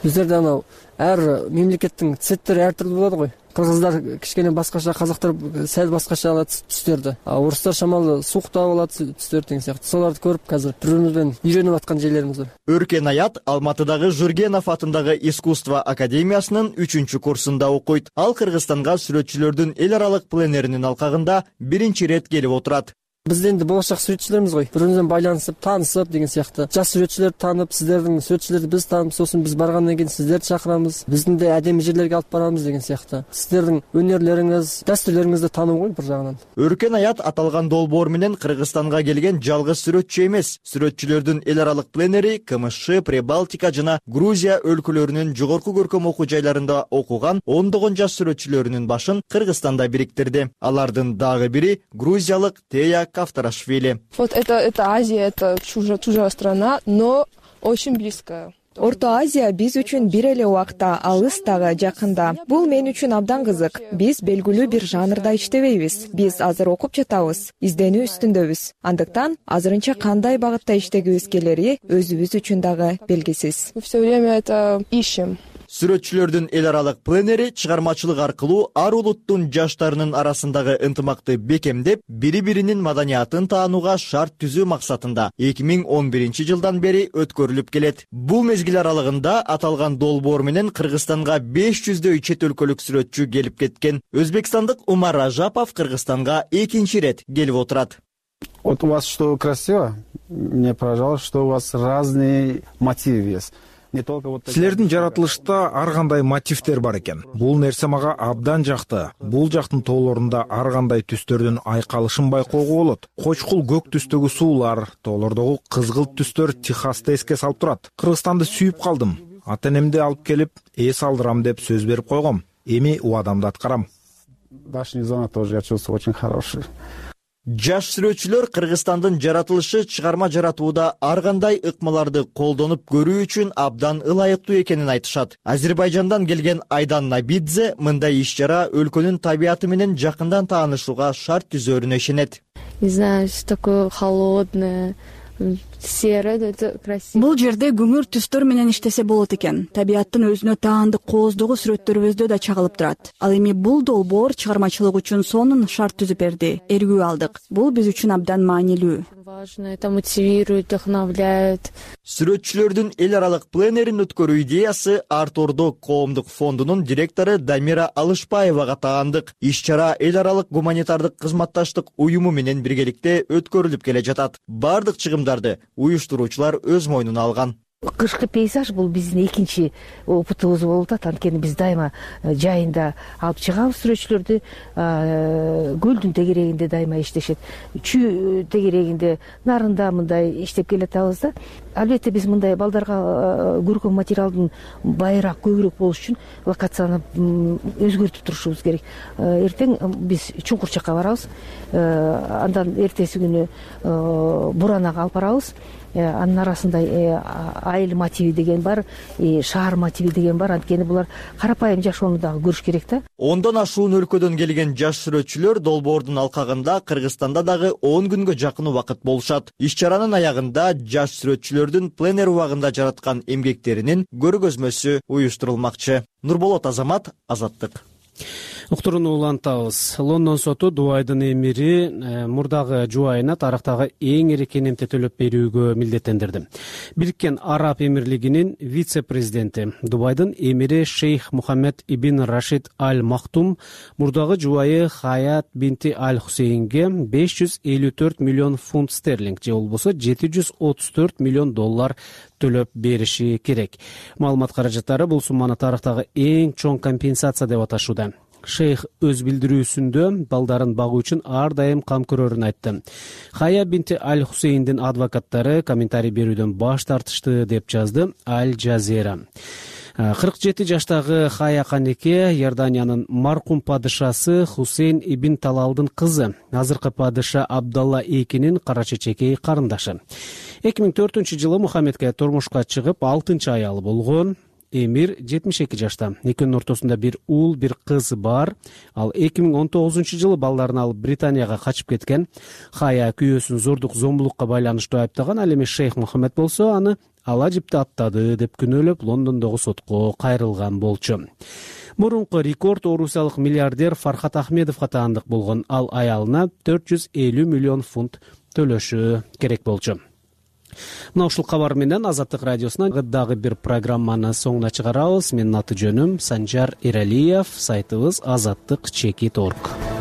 Speaker 23: Биздерде анау ар мемлекеттин цветтери ар түрдүү болот го. Кыргыздар кичкене башкача, казактар сәл башкача алат түстөрдү. Орустар шамалы суктап алат түстөр деген сыяктуу. Соларды көрүп азыр бири-бирибизден үйрөнүп аткан жерлерибиз бар.
Speaker 24: Өркен Аят Алматыдагы Жургенов атындагы искусство академиясынын 3-курсунда окуйт. Ал Кыргызстанга сүрөтчүлөрдүн эл аралык пленеринин алкагында биринчи рет келип отурат.
Speaker 23: Биз энди болочак сүрөтчүлөрбүз го. Бири-бирибизден байланышып, таанышып деген сыяктуу. Жаш сүрөтчүлөрдү таанып, сиздердин сүрөтчүлөрдү биз таанып, сосын биз баргандан кийин сиздерди чакырабыз. Биздин да адеми жерлерге алып барабыз деген сыяктуу. Сиздердин өнөрлөрүңүз, дастурларыңызды таануу го бир жагынан.
Speaker 24: Өркен Аят аталган долбоор менен Кыргызстанга келген жалгыз сүрөтчү эмес. Сүрөтчүлөрдүн эл аралык пленери КМШ, Прибалтика жана Грузия өлкөлөрүнүн жогорку көркөм окуу жайларында окуган ондогон жаш сүрөтчүлөрүнүн башын Кыргызстанда бириктирди. Алардын дагы бири грузиялык Тея Кавторашвили.
Speaker 25: Вот это Азия, это чужая страна, но очень близкая.
Speaker 26: Орто Азия биз үчүн бир эле убакта, алыс дагы жакында. Бул мен үчүн абдан кызык. Биз белгилүү бир жанрда иштебейбиз. Биз азыр окуп жатабыз, изденүү үстүндөбүз. Андыктан азырынча кандай багытта иштегибиз келери өзүбүз үчүн дагы белгисиз.
Speaker 25: Мы все время это ищем.
Speaker 24: Сүрөтчүлөрдүн эл аралык пленери чыгармачылык аркылуу ар улуттун жаштарынын арасындагы ынтымакты бекемдеп, бири-биринин маданиятын таанууга шарт түзүү максатында 2011-жылдан бери өткөрүлүп келет. Бул мезгил аралыгында аталган долбоор менен Кыргызстанга 500дөй чет өлкөлүк сүрөтчү келип кеткен. Өзбекстандык Умар Ажапов Кыргызстанга экинчи рет келип отурат.
Speaker 27: Вот у вас что красиво? Мне поражало, что у вас разные мотивы есть.
Speaker 8: Силердин жаратылышта ар кандай мотивдер бар экен. Бул нерсе мага абдан жакты. Бул жактын тоолорунда ар кандай түстөрдүн айкалышын байкоого болот. Кочкул көк түстөгү суулар, тоолордогу кызгылт түстөр Техасты эске салып турат. Кыргызстанды сүйүп калдым. Ата-энемди алып келип, эс алдырам деп сөз берип койгом. Эми убадамды аткарам.
Speaker 27: Дачный зона тоже я чувствую очень хороший.
Speaker 24: Жаш сүрөтчүлөр Кыргызстандын жаратылышы чыгарма жаратууда ар кандай ыкмаларды колдонуп көрүү үчүн абдан ылайыктуу экенин айтышат. Азербайжандан келген Айдан Набидзе мындай иш-чара өлкөнүн табияты менен жакындан таанышууга шарт түзөрүнө ишенет.
Speaker 28: Не знаю, такое холодное.
Speaker 17: Бул жерде күңүр түстөр менен иштесе болот экен. Табияттын өзүнө таандык кооздогу сүрөттөрүбүздө да чагылып турат. Ал эми бул долбоор чыгармачылык үчүн сонун шарт түзүп берди. Эргүү алдык. Бул биз үчүн абдан маанилүү.
Speaker 28: Важно, это мотивирует, вдохновляет.
Speaker 24: Сүрөтчүлөрдүн эл аралык пленерин өткөрүү идеясы Артордо коомдук фондунун директору Дамира Алышбаевага таандык. Иш-чара эл аралык гуманитардык кызматташтык уюму менен биргеликте өткөрүлүп келе жатат. Бардык чыгымдарды уюштуруучулар өз мойнуна алган.
Speaker 29: Кышкы пейзаж бул биздин экинчи опытыбыз болуп атат. Анткени биз дайыма жайында алып чыгабыз сүрөтчүлөрдү, көлдүн тегерегинде дайыма иштешет. Чүй тегерегинде нарында мындай иштеп келатабыз да. Албетте биз мындай балдарга көркөм материалдын байыраак, көбүрөөк болуш үчүн локацияны өзгөртүп турушубуз керек. Эртең биз чуңкур жакка барабыз. Андан эртеси күнү Буранага алып барабыз. Анын арасында айыл мотиви деген бар, шаар мотиви деген бар. Анткени булар карапайым жашоону дагы көрүш керек да.
Speaker 24: 10дон ашуун өлкөдөн келген жаш сүрөтчүлөр долбоордун алкагында Кыргызстанда дагы 10 күнгө жакын убакыт болушат. Иш-чаранын аягында жаш сүрөтчүлөрдүн пленер убагында жараткан эмгектеринин көргөзмөсү уюштурулмакчы. Нурболот Азамат, Азаттык.
Speaker 2: Уктурууну улантабыз. Лондон соту Дубайдын эмири мурдагы жубайына тарактагы эң ири кенемти төлөп берүүгө милдеттендирди. Бириккен Араб Эмирлигинин вице-президенти Дубайдын эмири Шейх Мухаммед ибн Рашид Аль Мактум мурдагы жубайы Хаят бинти Аль Хусейнге 554 миллион фунт стерлинг же болбосо 734 миллион доллар төлөп бериши керек. Маалымат каражаттары бул сумманы тарактагы эң чоң компенсация деп аташууда. Шейх өз билдирүүсүндө балдарын багуу үчүн ар дайым кам көрөрүн айтты. Хая бинти Аль Хусейндин адвокаттары комментарий берүүдөн баш тартышты деп жазды Аль Жазира. 47 жаштагы Хая канеке Иорданиянын маркум падышасы Хусейн ибн Талалдын кызы, азыркы падыша Абдалла экинин кара чечекей карындашы. 2004-жылы Мухаммедке турмушка чыгып 6-аялы болгон. Эмир 72 жашта. Экөөнүн ортосунда бир уул, бир кыз бар. Ал 2019-жылы балдарын алып Британияга качып кеткен. Хая күйөөсүн зордук зомбулукка байланыштуу айыптаган. Ал эми Шейх Мухаммед болсо аны ала жипти аттады деп күнөөлөп Лондондогу сотко кайрылган болчу. Мурунку рекорд орусиялык миллиардер Фархат Ахмедовго таандык болгон. Ал аялына 450 миллион фунт төлөшү керек болчу. Мына ушул кабар менен Азаттык радиосунан дагы бир программаны соңуна чыгарабыз. Менин аты жөнүм Санжар Эралиев, сайтыбыз azattik.org.